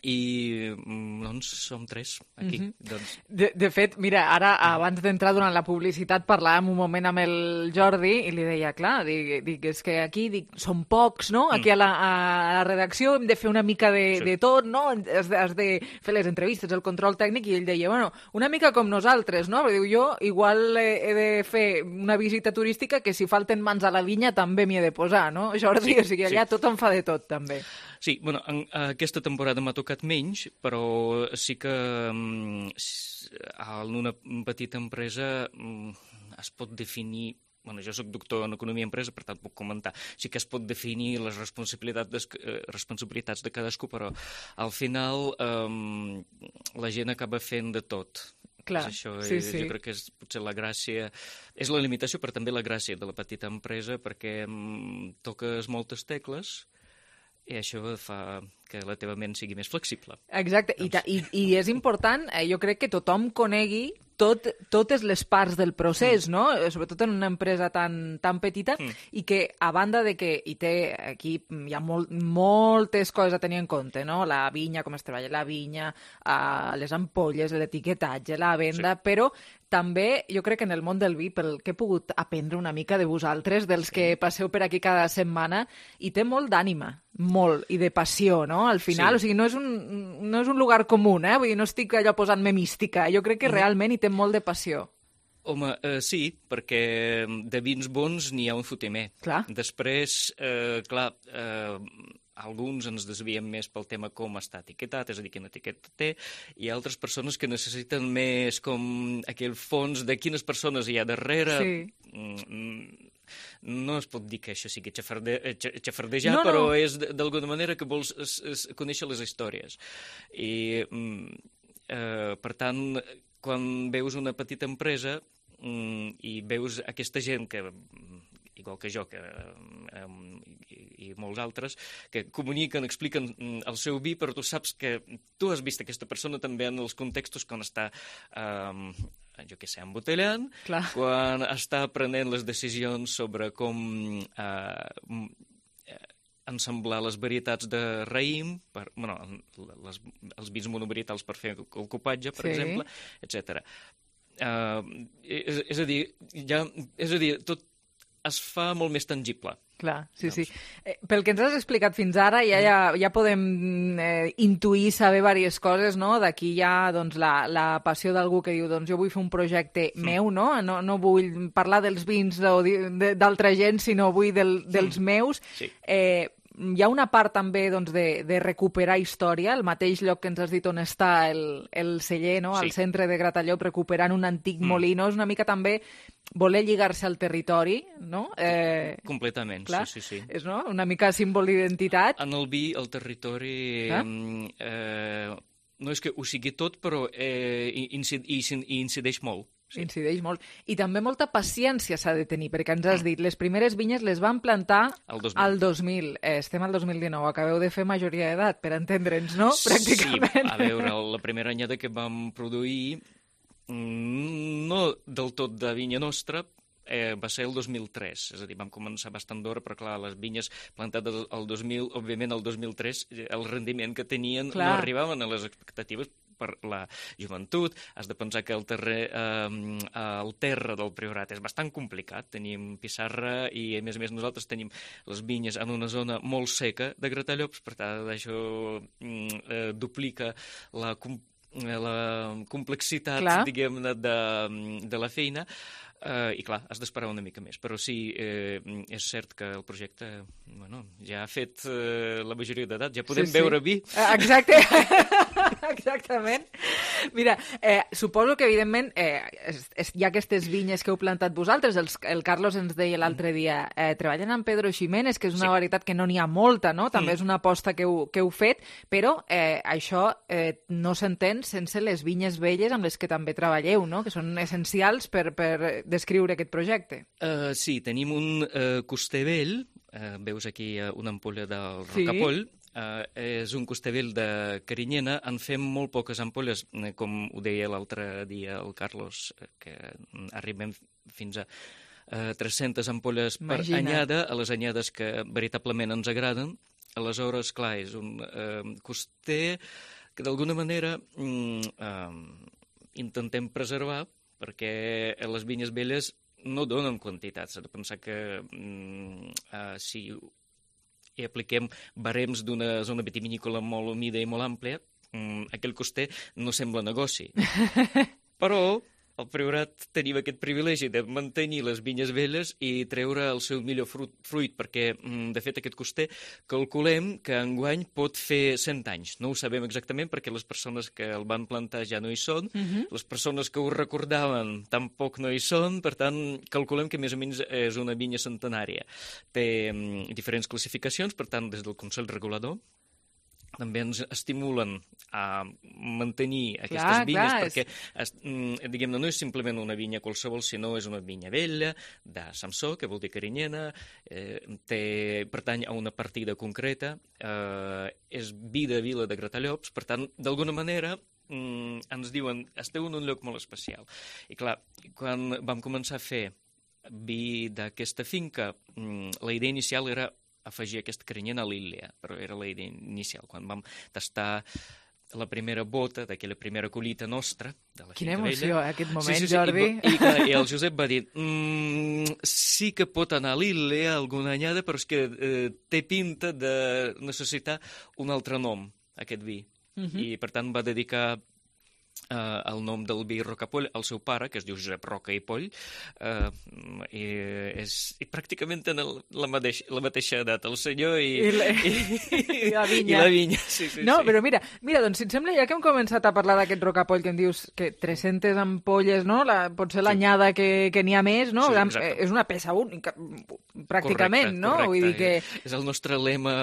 i doncs som tres aquí. Mm-hmm. doncs... de, de fet, mira, ara abans d'entrar durant la publicitat parlàvem un moment amb el Jordi i li deia, clar, dic, dic és que aquí dic, som pocs, no? Aquí a la, a la redacció hem de fer una mica de, sí. de tot, no? Has de, has de fer les entrevistes, el control tècnic, i ell deia, bueno, una mica com nosaltres, no? Però diu, jo igual he de fer una visita turística que si falten mans a la vinya també m'hi he de posar, no, Jordi? Sí, o sigui, allà sí. tothom fa de tot, també. Sí, bueno, en, aquesta temporada m'ha tocat menys, però sí que um, en una petita empresa um, es pot definir, bueno, jo soc doctor en economia i empresa, per tant puc comentar, sí que es pot definir les responsabilitats de, eh, responsabilitats de cadascú, però al final um, la gent acaba fent de tot. Clar, és això, sí, és, sí. Jo crec que és potser la gràcia, és la limitació, però també la gràcia de la petita empresa, perquè um, toques moltes tecles, i això fa que la teva ment sigui més flexible. Exacte, doncs... I, i, i és important, eh, jo crec que tothom conegui tot, totes les parts del procés, mm. no? Sobretot en una empresa tan, tan petita, mm. i que a banda de que hi té, aquí hi ha molt, moltes coses a tenir en compte, no? La vinya, com es treballa la vinya, uh, les ampolles, l'etiquetatge, la venda, sí. però també jo crec que en el món del vi, pel que he pogut aprendre una mica de vosaltres, dels sí. que passeu per aquí cada setmana, hi té molt d'ànima, molt, i de passió, no? Al final, sí. o sigui, no és, un, no és un lugar comú, eh? Vull dir, no estic allò posant-me mística, jo crec que mm. realment hi té molt de passió. Home, eh, sí, perquè de vins bons n'hi ha un fotimer. Clar. Després, eh, clar, eh, alguns ens desviem més pel tema com està etiquetat, és a dir, quina etiqueta té, i altres persones que necessiten més com aquell fons de quines persones hi ha darrere. Sí. Mm, no es pot dir que això sigui xafarde, xafardejar, no, no. però és d'alguna manera que vols es, es, conèixer les històries. I, mm, eh, per tant, quan veus una petita empresa mm, i veus aquesta gent que igual que jo, que, eh, i, i molts altres, que comuniquen, expliquen el seu vi, però tu saps que tu has vist aquesta persona també en els contextos quan està, eh, jo què sé, embotellant, Clar. quan està prenent les decisions sobre com eh, ensamblar les varietats de raïm, per, bueno, les, els vins monovarietals per fer el copatge, per sí. exemple, etcètera. Uh, és, és a dir, ja, és a dir, tot es fa molt més tangible. Clar, sí, sí. Eh, pel que ens has explicat fins ara, ja, ja, ja podem eh, intuir, saber diverses coses, no? D'aquí hi ha doncs, la, la passió d'algú que diu doncs, jo vull fer un projecte mm. meu, no? no? No vull parlar dels vins d'altra gent, sinó vull del, dels mm. meus. Sí. Eh, hi ha una part també doncs, de, de recuperar història, el mateix lloc que ens has dit on està el, el celler, no? Sí. Al centre de Gratallops, recuperant un antic mm. molí, no? És una mica també voler lligar-se al territori, no? Eh, Completament, clar, sí, sí, sí. És no? Una mica símbol d'identitat. En el vi, el territori... Ah? Eh, no és que ho sigui tot, però eh, incid, incideix molt. Sí. Incideix molt. I també molta paciència s'ha de tenir, perquè ens has dit, les primeres vinyes les van plantar al dos mil. Al dos mil. Eh, estem al dos mil dinou, acabeu de fer majoria d'edat, per entendre'ns, no? Pràcticament. Sí, a veure, la primera anyada que vam produir, no del tot de vinya nostra, eh, va ser el dos mil tres, és a dir, vam començar bastant d'hora, però clar, les vinyes plantades el dos mil, òbviament el dos mil tres, el rendiment que tenien clar. No arribaven a les expectatives per la joventut. Has de pensar que el, terre, eh, el terra del Priorat és bastant complicat. Tenim pissarra i, a més a més, nosaltres tenim les vinyes en una zona molt seca de Gratallops, per tant, això eh, duplica la, la complexitat, clar. Diguem-ne, de, de la feina. Uh, I clar, has d'esperar una mica més, però sí, eh, és cert que el projecte bueno, ja ha fet eh, la majoria d'edat, ja podem sí, sí. beure vi. Exacte, exactament. Mira, eh, suposo que evidentment eh, es, es, hi ha aquestes vinyes que heu plantat vosaltres, els, el Carlos ens deia l'altre dia, eh, treballen amb Pedro Ximénez, que és una sí. varietat que no n'hi ha molta, no? També mm. és una aposta que heu, que heu fet, però eh, això eh, no s'entén sense les vinyes velles amb les que també treballeu, no? Que són essencials per, per descriure aquest projecte. Uh, sí, tenim un uh, coster vell, uh, veus aquí uh, una ampolla del Rocapoll, sí. Uh, és un coster vell de Carinyena, en fem molt poques ampolles, eh, com ho deia l'altre dia el Carlos, eh, que arribem fins a uh, tres-centes ampolles per Imagina. anyada, a les anyades que veritablement ens agraden. Aleshores, clar, és un uh, coster que d'alguna manera mm, uh, intentem preservar, perquè les vinyes velles no donen quantitats. S'ha de pensar que mm, uh, si hi apliquem barems d'una zona vitivinícola molt humida i molt àmplia, mm, aquell coster no sembla negoci. Però al Priorat tenim aquest privilegi de mantenir les vinyes velles i treure el seu millor fruit, fruit perquè, de fet, aquest coster calculem que enguany pot fer cent anys. No ho sabem exactament perquè les persones que el van plantar ja no hi són, uh-huh. les persones que ho recordaven tampoc no hi són, per tant, calculem que més o menys és una vinya centenària. Té um, diferents classificacions, per tant, des del Consell Regulador, també ens estimulen a mantenir aquestes clar, vinyes clar, perquè, és... diguem-ne, no és simplement una vinya qualsevol, sinó és una vinya vella, de Samsó, que vol dir Carinyena, eh, té, pertany a una partida concreta, eh, és vi de Vila de Gratallops, per tant, d'alguna manera, mm, ens diuen, esteu en un lloc molt especial. I clar, quan vam començar a fer vi d'aquesta finca, mm, la idea inicial era afegir aquesta Carinyena a l'Illa, però era la idea inicial. Quan vam tastar la primera bota d'aquella primera collita nostra, de la Quina finca emoció, vella... eh, aquest moment, sí, sí, sí, Jordi. I, i, I el Josep va dir, mm, sí que pot anar a l'Illa alguna anyada, però és que eh, té pinta de necessitar un altre nom, aquest vi. Uh-huh. I, per tant, va dedicar Uh, el nom del vi Rocapoll al seu pare, que es diu Josep Roca i Poll, uh, i, és, i pràcticament tenen la, mateix, la mateixa edat, el senyor i, I, la, i, i la vinya. I la vinya. Sí, sí, no, sí. Però mira, mira, doncs si et sembla, ja que hem començat a parlar d'aquest Rocapoll, que em dius que tres-centes ampolles, no? La, potser l'anyada que, que n'hi ha més, no? Sí, és una peça única, pràcticament, correcte, no? Correcte. Vull dir que... És el nostre lema,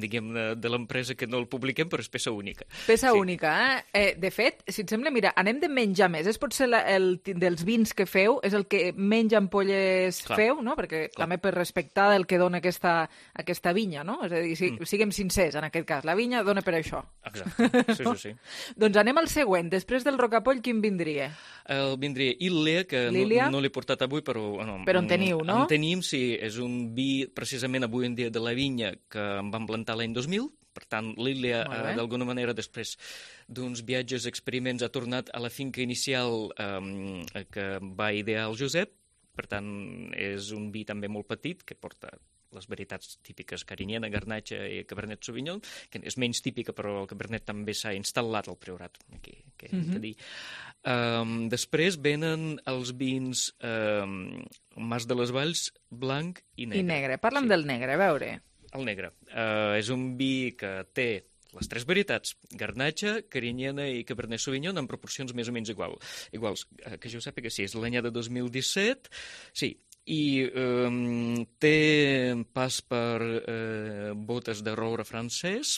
diguem, de l'empresa, que no el publiquem, però és peça única. Peça sí. única, eh? eh? De fet, si et sembla, mira, anem de menjar més. És potser la, el, dels vins que feu, és el que menys ampolles Clar. feu, no? Perquè Clar. també per respectar el que dona aquesta, aquesta vinya, no? És a dir, si, mm. siguem sincers, en aquest cas. La vinya dona per això. Exacte, sí, sí, sí. Doncs anem al següent. Després del rocapoll, quin vindria? El vindria Ilia, que Lilia? no, no l'he portat avui, però... No, però en teniu, no? En tenim, sí. És un vi, precisament avui en dia, de la vinya que em van plantar l'any dos mil. Per tant, l'Ilia, eh, d'alguna manera, després d'uns viatges, experiments, ha tornat a la finca inicial eh, que va idear el Josep. Per tant, és un vi també molt petit, que porta les varietats típiques Carinyena, Garnatxa i Cabernet Sauvignon, que és menys típica, però el Cabernet també s'ha instal·lat al Priorat, aquí, que hem de dir. Um, després venen els vins um, Mas de les Valls, blanc i negre. I negre. Parla'm sí. del negre, a veure. El negre. Uh, és un vi que té les tres varietats, Garnatxa, Carinyena i Cabernet Sauvignon, en proporcions més o menys igual, iguals. Uh, que jo sàpiga, sí, és l'anyada dos mil disset, sí, i um, té pas per uh, botes de roure francès,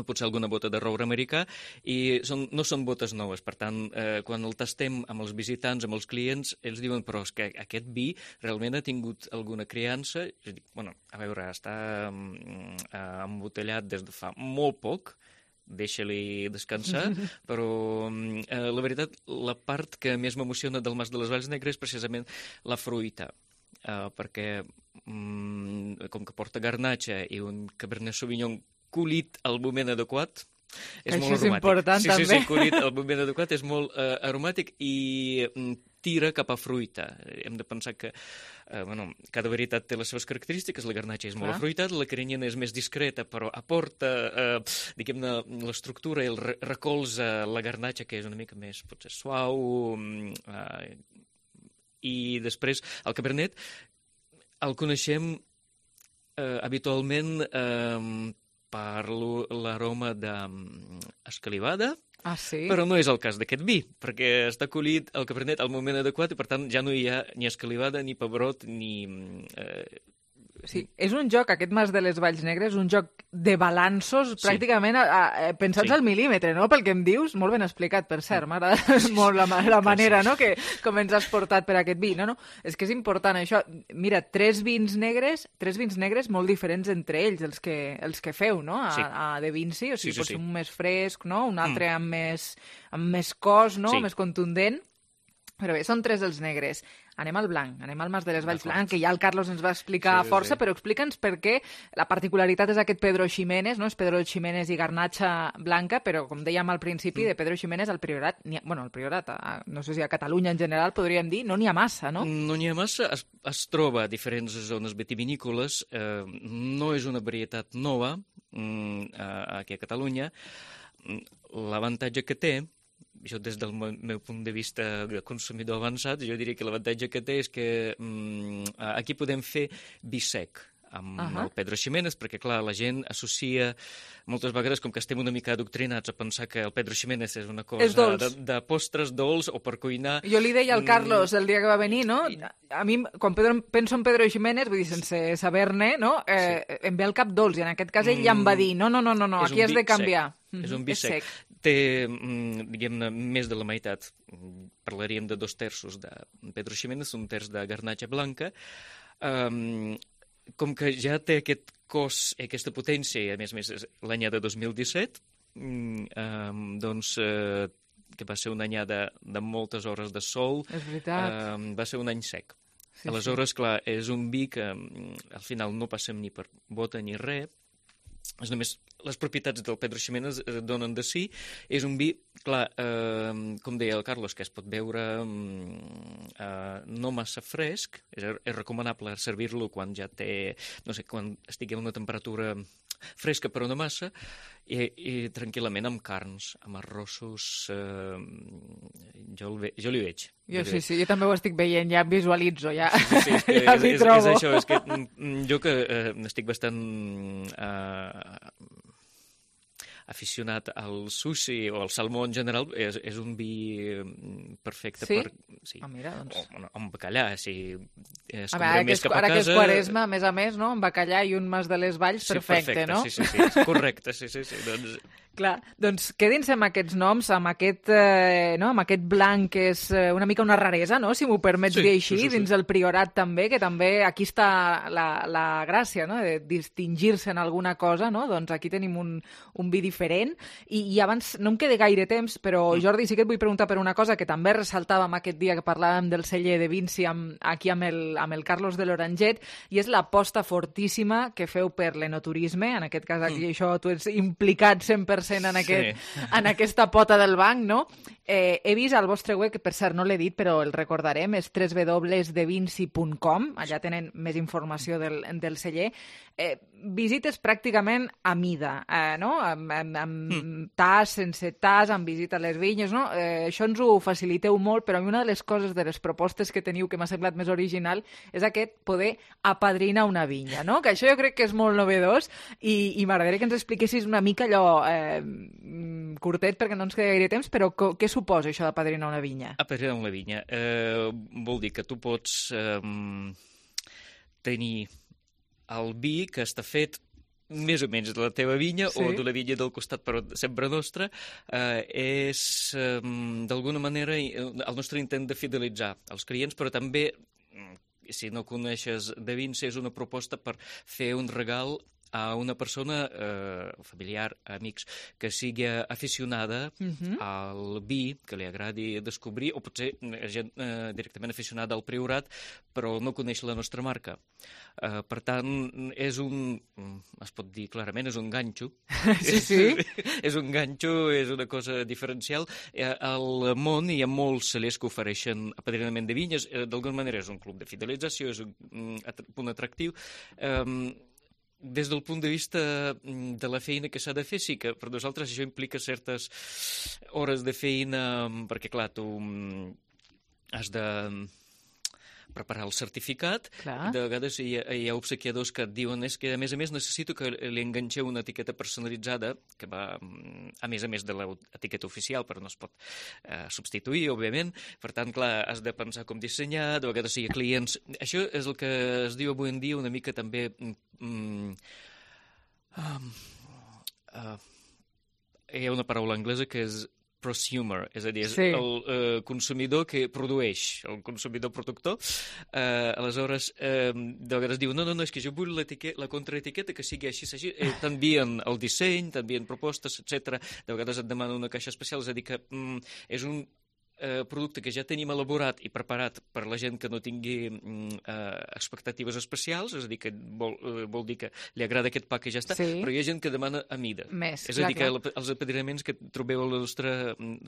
potser alguna bota de roure americà, i són, no són botes noves. Per tant, eh, quan el tastem amb els visitants, amb els clients, ells diuen, però és que aquest vi realment ha tingut alguna criança. Jo dic, bueno, a veure, està mm, embotellat des de fa molt poc, deixa-li descansar, però eh, la veritat, la part que més m'emociona del Mas de les Valls Negres és precisament la fruita, eh, perquè mm, com que porta Garnatxa i un Cabernet Sauvignon collit al moment adequat, és Això molt és aromàtic. important, sí, també. Sí, sí, collit al moment adequat, és molt uh, aromàtic i mm, tira cap a fruita. Hem de pensar que uh, bueno, cada varietat té les seves característiques. La Garnatxa és molt Ah. afruitada, la Carinyena és més discreta, però aporta, uh, diguem-ne, l'estructura i el re recolza la Garnatxa, que és una mica més, potser, suau. Uh, I després, el Cabernet, el coneixem uh, habitualment uh, per l'aroma d'escalivada, ah, sí? però no és el cas d'aquest vi, perquè està collit el Cabernet al moment adequat i, per tant, ja no hi ha ni escalivada, ni pebrot, ni... Eh... Sí, és un joc, aquest Mas de les Valls Negres, un joc de balanços sí. pràcticament a, a, pensats sí. al mil·límetre, no?, pel que em dius. Molt ben explicat, per cert, m'agrada molt la, la manera, no?, que com ens has portat per aquest vi. No, no, és que és important això. Mira, tres vins negres, tres vins negres molt diferents entre ells, els que, els que feu, no?, a, sí. a De Vinci, o sigui, sí, sí, pot ser sí. un més fresc, no?, un altre mm. amb, més, amb més cos, no?, sí. més contundent. Però bé, són tres els negres. Anem al blanc, anem al Mas de les Valls Blanc, que ja el Carlos ens va explicar sí, força, sí. però explica'ns per què la particularitat és aquest Pedro Ximénez, no? És Pedro Ximénez i Garnatxa blanca, però com dèiem al principi, mm. de Pedro Ximénez al Priorat, ha, bueno, al Priorat, a, no sé si a Catalunya en general podríem dir, no n'hi ha massa, no? No n'hi ha massa, es, es troba a diferents zones vitivinícoles, eh, no és una varietat nova mm, aquí a Catalunya. L'avantatge que té, jo des del meu punt de vista de consumidor avançat, jo diria que l'avantatge que té és que mm, aquí podem fer vi sec amb uh -huh. el Pedro Ximénez, perquè, clar, la gent associa moltes vegades, com que estem una mica adoctrinats a pensar que el Pedro Ximénez és una cosa és de, de postres dolç o per cuinar... Jo li deia al Carlos el dia que va venir, no? A mi, quan Pedro, penso en Pedro Ximénez, vull dir, sense saber-ne, no? Eh, sí. Em ve al cap dolç, i en aquest cas ell ja em va dir, no, no, no, no, no aquí has de canviar. Mm -hmm. És un vi sec. sec. Té, diguem-ne, més de la meitat. Parlaríem de dos terços de Pedro Ximénez, un terç de Garnatxa blanca. Um, com que ja té aquest cos, aquesta potència, i a més a més l'anyada dos mil disset, um, doncs uh, que va ser una anyada de moltes hores de sol, és veritat. Um, va ser un any sec. Sí, Aleshores, sí. clar, és un vi que um, al final no passem ni per bota ni res, és només les propietats del Pedro Ximénez eh, donen de si. És un vi, clar, eh, com deia el Carlos, que es pot beure eh, no massa fresc, és, és recomanable servir-lo quan ja té, no sé, quan estigui a una temperatura fresca però no massa, i, i tranquil·lament amb carns, amb arrossos, eh, jo, el ve, jo li veig. Jo sí, sí, jo també ho estic veient, ja em visualitzo, ja, sí, sí, és que ja és, m'hi és, trobo. És això, és que jo que eh, estic bastant eh, aficionat al sushi o al salmó en general, és, és un vi perfecte sí? per... Sí, ah, mira, doncs... o, o amb bacallà, si es a veure, més que és, cap a ara casa... que és Quaresma, a més a més, no? Amb bacallà i un mas de les Valls, sí, perfecte, perfecte, no? Sí, sí, sí, correcte, sí, sí, sí. Doncs... Clar, doncs quedin-se amb aquests noms, amb aquest, eh, no? amb aquest blanc que és eh, una mica una raresa, no? Si m'ho permets sí, dir així, sí, sí, sí. dins el Priorat també, que també aquí està la, la gràcia, no? De distingir-se en alguna cosa, no? Doncs aquí tenim un, un vi diferent. I, I abans, no em queda gaire temps, però Jordi, sí que et vull preguntar per una cosa que també ressaltàvem aquest dia que parlàvem del celler de Vinci amb, aquí amb el, amb el Carlos de l'Oranget, i és l'aposta fortíssima que feu per l'enoturisme, en aquest cas aquí mm. això tu ets implicat cent per cent en, aquest, sí. en aquesta pota del banc, no? Eh, he vist al vostre web, que per cert no l'he dit, però el recordarem, és w w w punt de vinci punt com, allà tenen més informació del, del celler. Eh, visites pràcticament a mida, eh, no? Amb, amb, amb mm. tas, sense tas, amb visita a les vinyes, no? Eh, això ens ho faciliteu molt, però a mi una de les coses, de les propostes que teniu que m'ha semblat més original, és aquest poder apadrinar una vinya, no? Que això jo crec que és molt novedós i, i m'agradaria que ens expliquessis una mica allò eh, curtet, perquè no ens queda gaire temps, però co, què suposa això d'apadrinar una vinya? Apadrinar una vinya eh, vol dir que tu pots eh, tenir el vi que està fet més o menys de la teva vinya sí. o de la vinya del costat, però sempre nostra, eh, és eh, d'alguna manera el nostre intent de fidelitzar els clients, però també, si no coneixes de vins, és una proposta per fer un regal a una persona, eh, familiar, amics, que sigui aficionada uh-huh. al vi, que li agradi descobrir, o potser gent eh, directament aficionada al Priorat, però no coneix la nostra marca. Eh, per tant, és un, es pot dir clarament, és un ganxo. Sí, sí. És un ganxo, és una cosa diferencial. Eh, al món hi ha molts cellers que ofereixen apadrinament de vinyes. Eh, d'alguna manera és un club de fidelització, és un mm, punt atractiu. Eh, Des del punt de vista de la feina que s'ha de fer, sí que per nosaltres això implica certes hores de feina, perquè, clar, tu has de preparar el certificat. Clar. De vegades hi ha, hi ha obsequiadors que et diuen és que, a més a més, necessito que li enganxeu una etiqueta personalitzada, que va, a més a més de l'etiqueta oficial, però no es pot eh, substituir, òbviament. Per tant, clar, has de pensar com dissenyar, de vegades hi ha clients... Això és el que es diu avui en dia una mica també... Mm, um, uh, hi ha una paraula anglesa que és prosumer, és a dir, és sí. el eh, consumidor que produeix, el consumidor productor. Eh, aleshores, eh, de vegades diu, no, no, no, és que jo vull la contraetiqueta que sigui així, així. Eh, t'envien el disseny, t'envien propostes, etcètera. De vegades et demanen una caixa especial, és a dir, que mm, és un eh, producte que ja tenim elaborat i preparat per la gent que no tingui mm, eh, expectatives especials, és a dir, que vol, eh, vol dir que li agrada aquest pa que ja està, sí. però hi ha gent que demana a mida. Més, és clar, a dir, clar. que el, els apadrinaments que trobeu a la nostra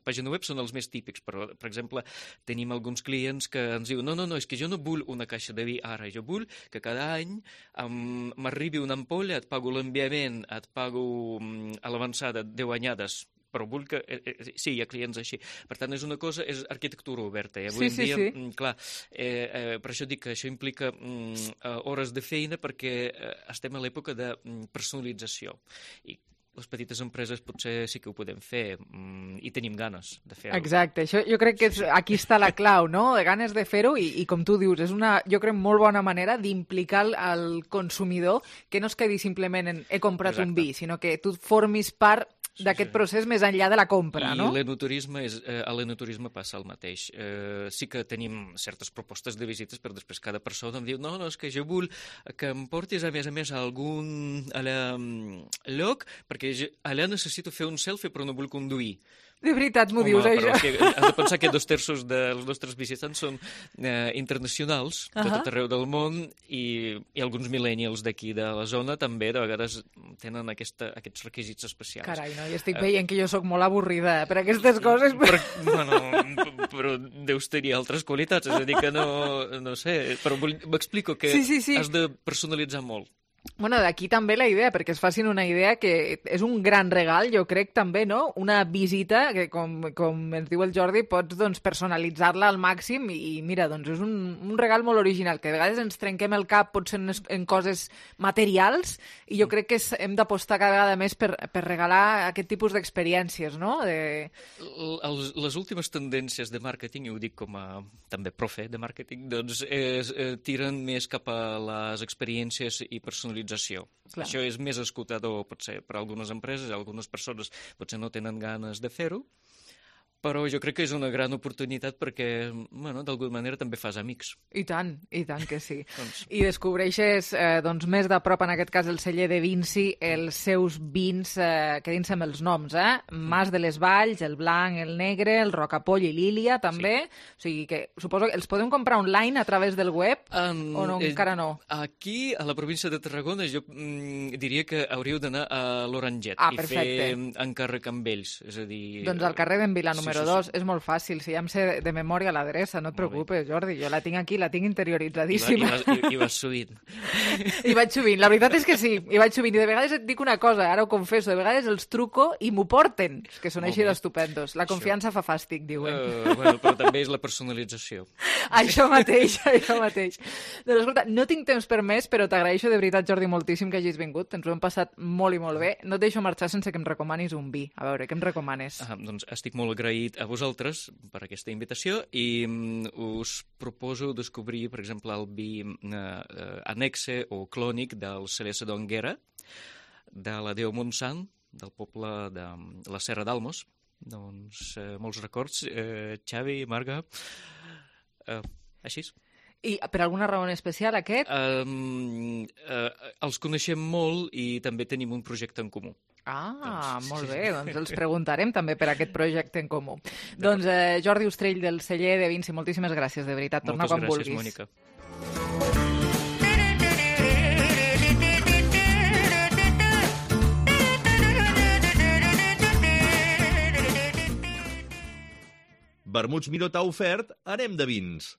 pàgina web són els més típics, però, per exemple, tenim alguns clients que ens diuen no, no, no, és que jo no vull una caixa de vi ara, jo vull que cada any um, m'arribi una ampolla, et pago l'enviament, et pago um, a l'avançada deu anyades, però vull que... Eh, eh, sí, hi ha clients així. Per tant, és una cosa, és arquitectura oberta. I avui sí, sí, en dia, sí. mm, clar, eh, eh, per això dic que això implica mm, hores de feina perquè eh, estem a l'època de mm, personalització. I les petites empreses potser sí que ho podem fer mm, i tenim ganes de fer-ho. Exacte, això jo crec que és, aquí està la clau, no? De ganes de fer-ho i, i com tu dius, és una, jo crec, molt bona manera d'implicar el consumidor que no es quedi simplement en he comprat Exacte. un vi, sinó que tu formis part d'aquest procés més enllà de la compra, I no? I l'enoturisme, és, eh, a l'enoturisme passa el mateix. Eh, sí que tenim certes propostes de visites, però després cada persona em diu no, no, és que jo vull que em portis a més a més a algun a la, lloc, perquè jo, allà necessito fer un selfie però no vull conduir. De veritat m'ho dius, però això? Que, has de pensar que dos terços dels nostres visitants són eh, internacionals, uh -huh. de tot arreu del món, i, i alguns millennials d'aquí de la zona també de vegades tenen aquesta, aquests requisits especials. Carai, no, i estic veient que jo sóc molt avorrida per aquestes coses. Per, bueno, però deus tenir altres qualitats, és a dir que no, no sé, però m'explico que sí, sí, sí. has de personalitzar molt. Bueno, d'aquí també la idea, perquè es facin una idea que és un gran regal, jo crec també, no? Una visita que, com, com ens diu el Jordi, pots doncs, personalitzar-la al màxim i, i mira, doncs és un, un regal molt original, que a vegades ens trenquem el cap potser en, en coses materials i jo crec que és, hem d'apostar cada vegada més per, per regalar aquest tipus d'experiències, no? De... Les, les últimes tendències de màrqueting, i ho dic com a també profe de màrqueting, doncs es, eh, tiren més cap a les experiències i personalització. Clar. Això és més escoltador, potser, per a algunes empreses, algunes persones potser no tenen ganes de fer-ho, però jo crec que és una gran oportunitat perquè, bueno, d'alguna manera també fas amics. I tant, i tant que sí. doncs... I descobreixes eh, doncs, més de prop, en aquest cas el celler de Vinci, els seus vins, eh, quedin-se amb els noms, eh? Mas de les Valls, el blanc, el negre, el rocapoll i Lília, també. Sí. O sigui que suposo que els podem comprar online a través del web um, o no, eh, encara no? Aquí, a la província de Tarragona, jo mm, diria que hauríeu d'anar a l'Oranget ah, i perfecte. fer encàrrec amb ells. És a dir... Doncs al carrer d'en Vila, número sí, sí, dos, sí. és molt fàcil, si ja em sé de, de memòria l'adreça, no et preocupes, Jordi, jo la tinc aquí, la tinc interioritzadíssima. I, va, i, i, i vas sovint. I vaig sovint, la veritat és que sí, i vaig sovint, i de vegades et dic una cosa, ara ho confesso, de vegades els truco i m'ho porten, que són molt així d'estupendos. La confiança això. Fa fàstic, diuen. Uh, bueno, però també és la personalització. Això mateix, això mateix. Doncs escolta, no tinc temps per més, però t'agraeixo de veritat, Jordi, moltíssim que hagis vingut, ens ho hem passat molt i molt bé. No et deixo marxar sense que em recomanis un vi. A veure, què em recomanes? Ah, doncs estic molt agraït a vosaltres per aquesta invitació i um, us proposo descobrir, per exemple, el vi uh, uh, annexe o clònic del celler Sedonguera, de la Déu Montsant, del poble de la Serra d'Almos. Doncs uh, molts records, uh, Xavi, Marga, uh, així. I per alguna raó en especial aquest? Um, uh, els coneixem molt i també tenim un projecte en comú. Ah, doncs, molt sí, bé, sí. doncs els preguntarem també per aquest projecte en comú. Doncs eh, Jordi Ostrell del celler de Vinci, moltíssimes gràcies, de veritat, torna quan vulguis. Moltes gràcies, Mònica. Vermuts Miró t'ha ofert Anem de Vins.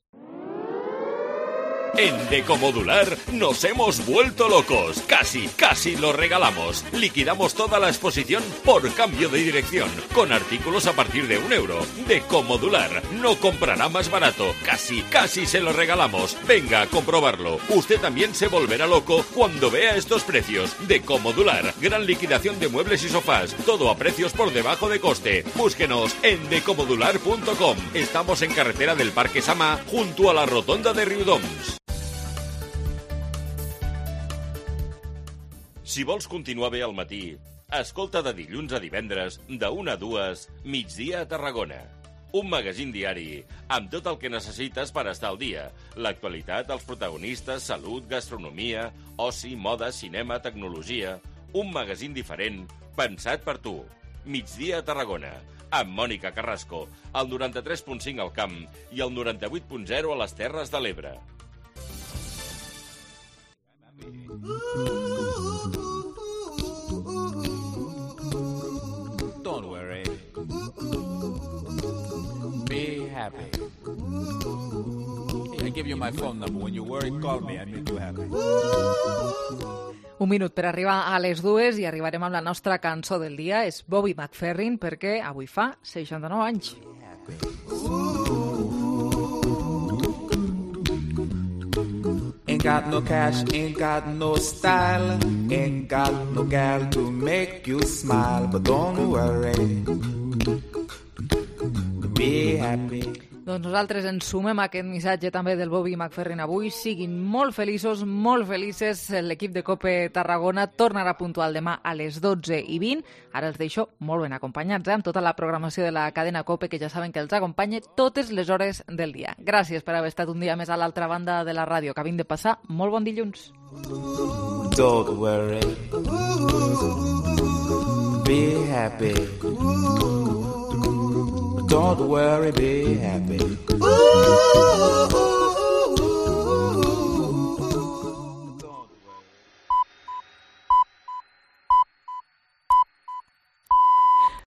En Decomodular nos hemos vuelto locos. Casi, casi lo regalamos. Liquidamos toda la exposición por cambio de dirección, con artículos a partir de un euro. Decomodular no comprará más barato. Casi, casi se lo regalamos. Venga a comprobarlo. Usted también se volverá loco cuando vea estos precios. Decomodular, gran liquidación de muebles y sofás. Todo a precios por debajo de coste. Búsquenos en decomodular punto com. Estamos en carretera del Parque Samà, junto a la rotonda de Riudoms. Si vols continuar bé al matí, escolta de dilluns a divendres, de una a dues, Migdia a Tarragona. Un magazín diari amb tot el que necessites per estar al dia. L'actualitat, els protagonistes, salut, gastronomia, oci, moda, cinema, tecnologia. Un magazín diferent, pensat per tu. Migdia a Tarragona, amb Mònica Carrasco, al noranta-tres punt cinc al Camp i al noranta-vuit punt zero a les Terres de l'Ebre. Don't worry. Be happy. I give you my phone number. When you worry, call me. I make you happy. Un minut per arribar a les dues i arribarem amb la nostra cançó del dia. És Bobby McFerrin, perquè avui fa seixanta-nou anys. Ain't got no cash, ain't got no style, ain't got no gal to make you smile, but don't worry, be happy. Doncs nosaltres ens sumem a aquest missatge també del Bobby McFerrin avui. Siguin molt feliços, molt felices. L'equip de COPE Tarragona tornarà puntual demà a les dotze i vint. Ara els deixo molt ben acompanyats, eh? amb tota la programació de la cadena COPE, que ja saben que els acompanya totes les hores del dia. Gràcies per haver estat un dia més a l'altra banda de la ràdio. Acabem de passar molt bon dilluns. Don't worry, be happy. Don't worry, be happy. Ooh, ooh, ooh.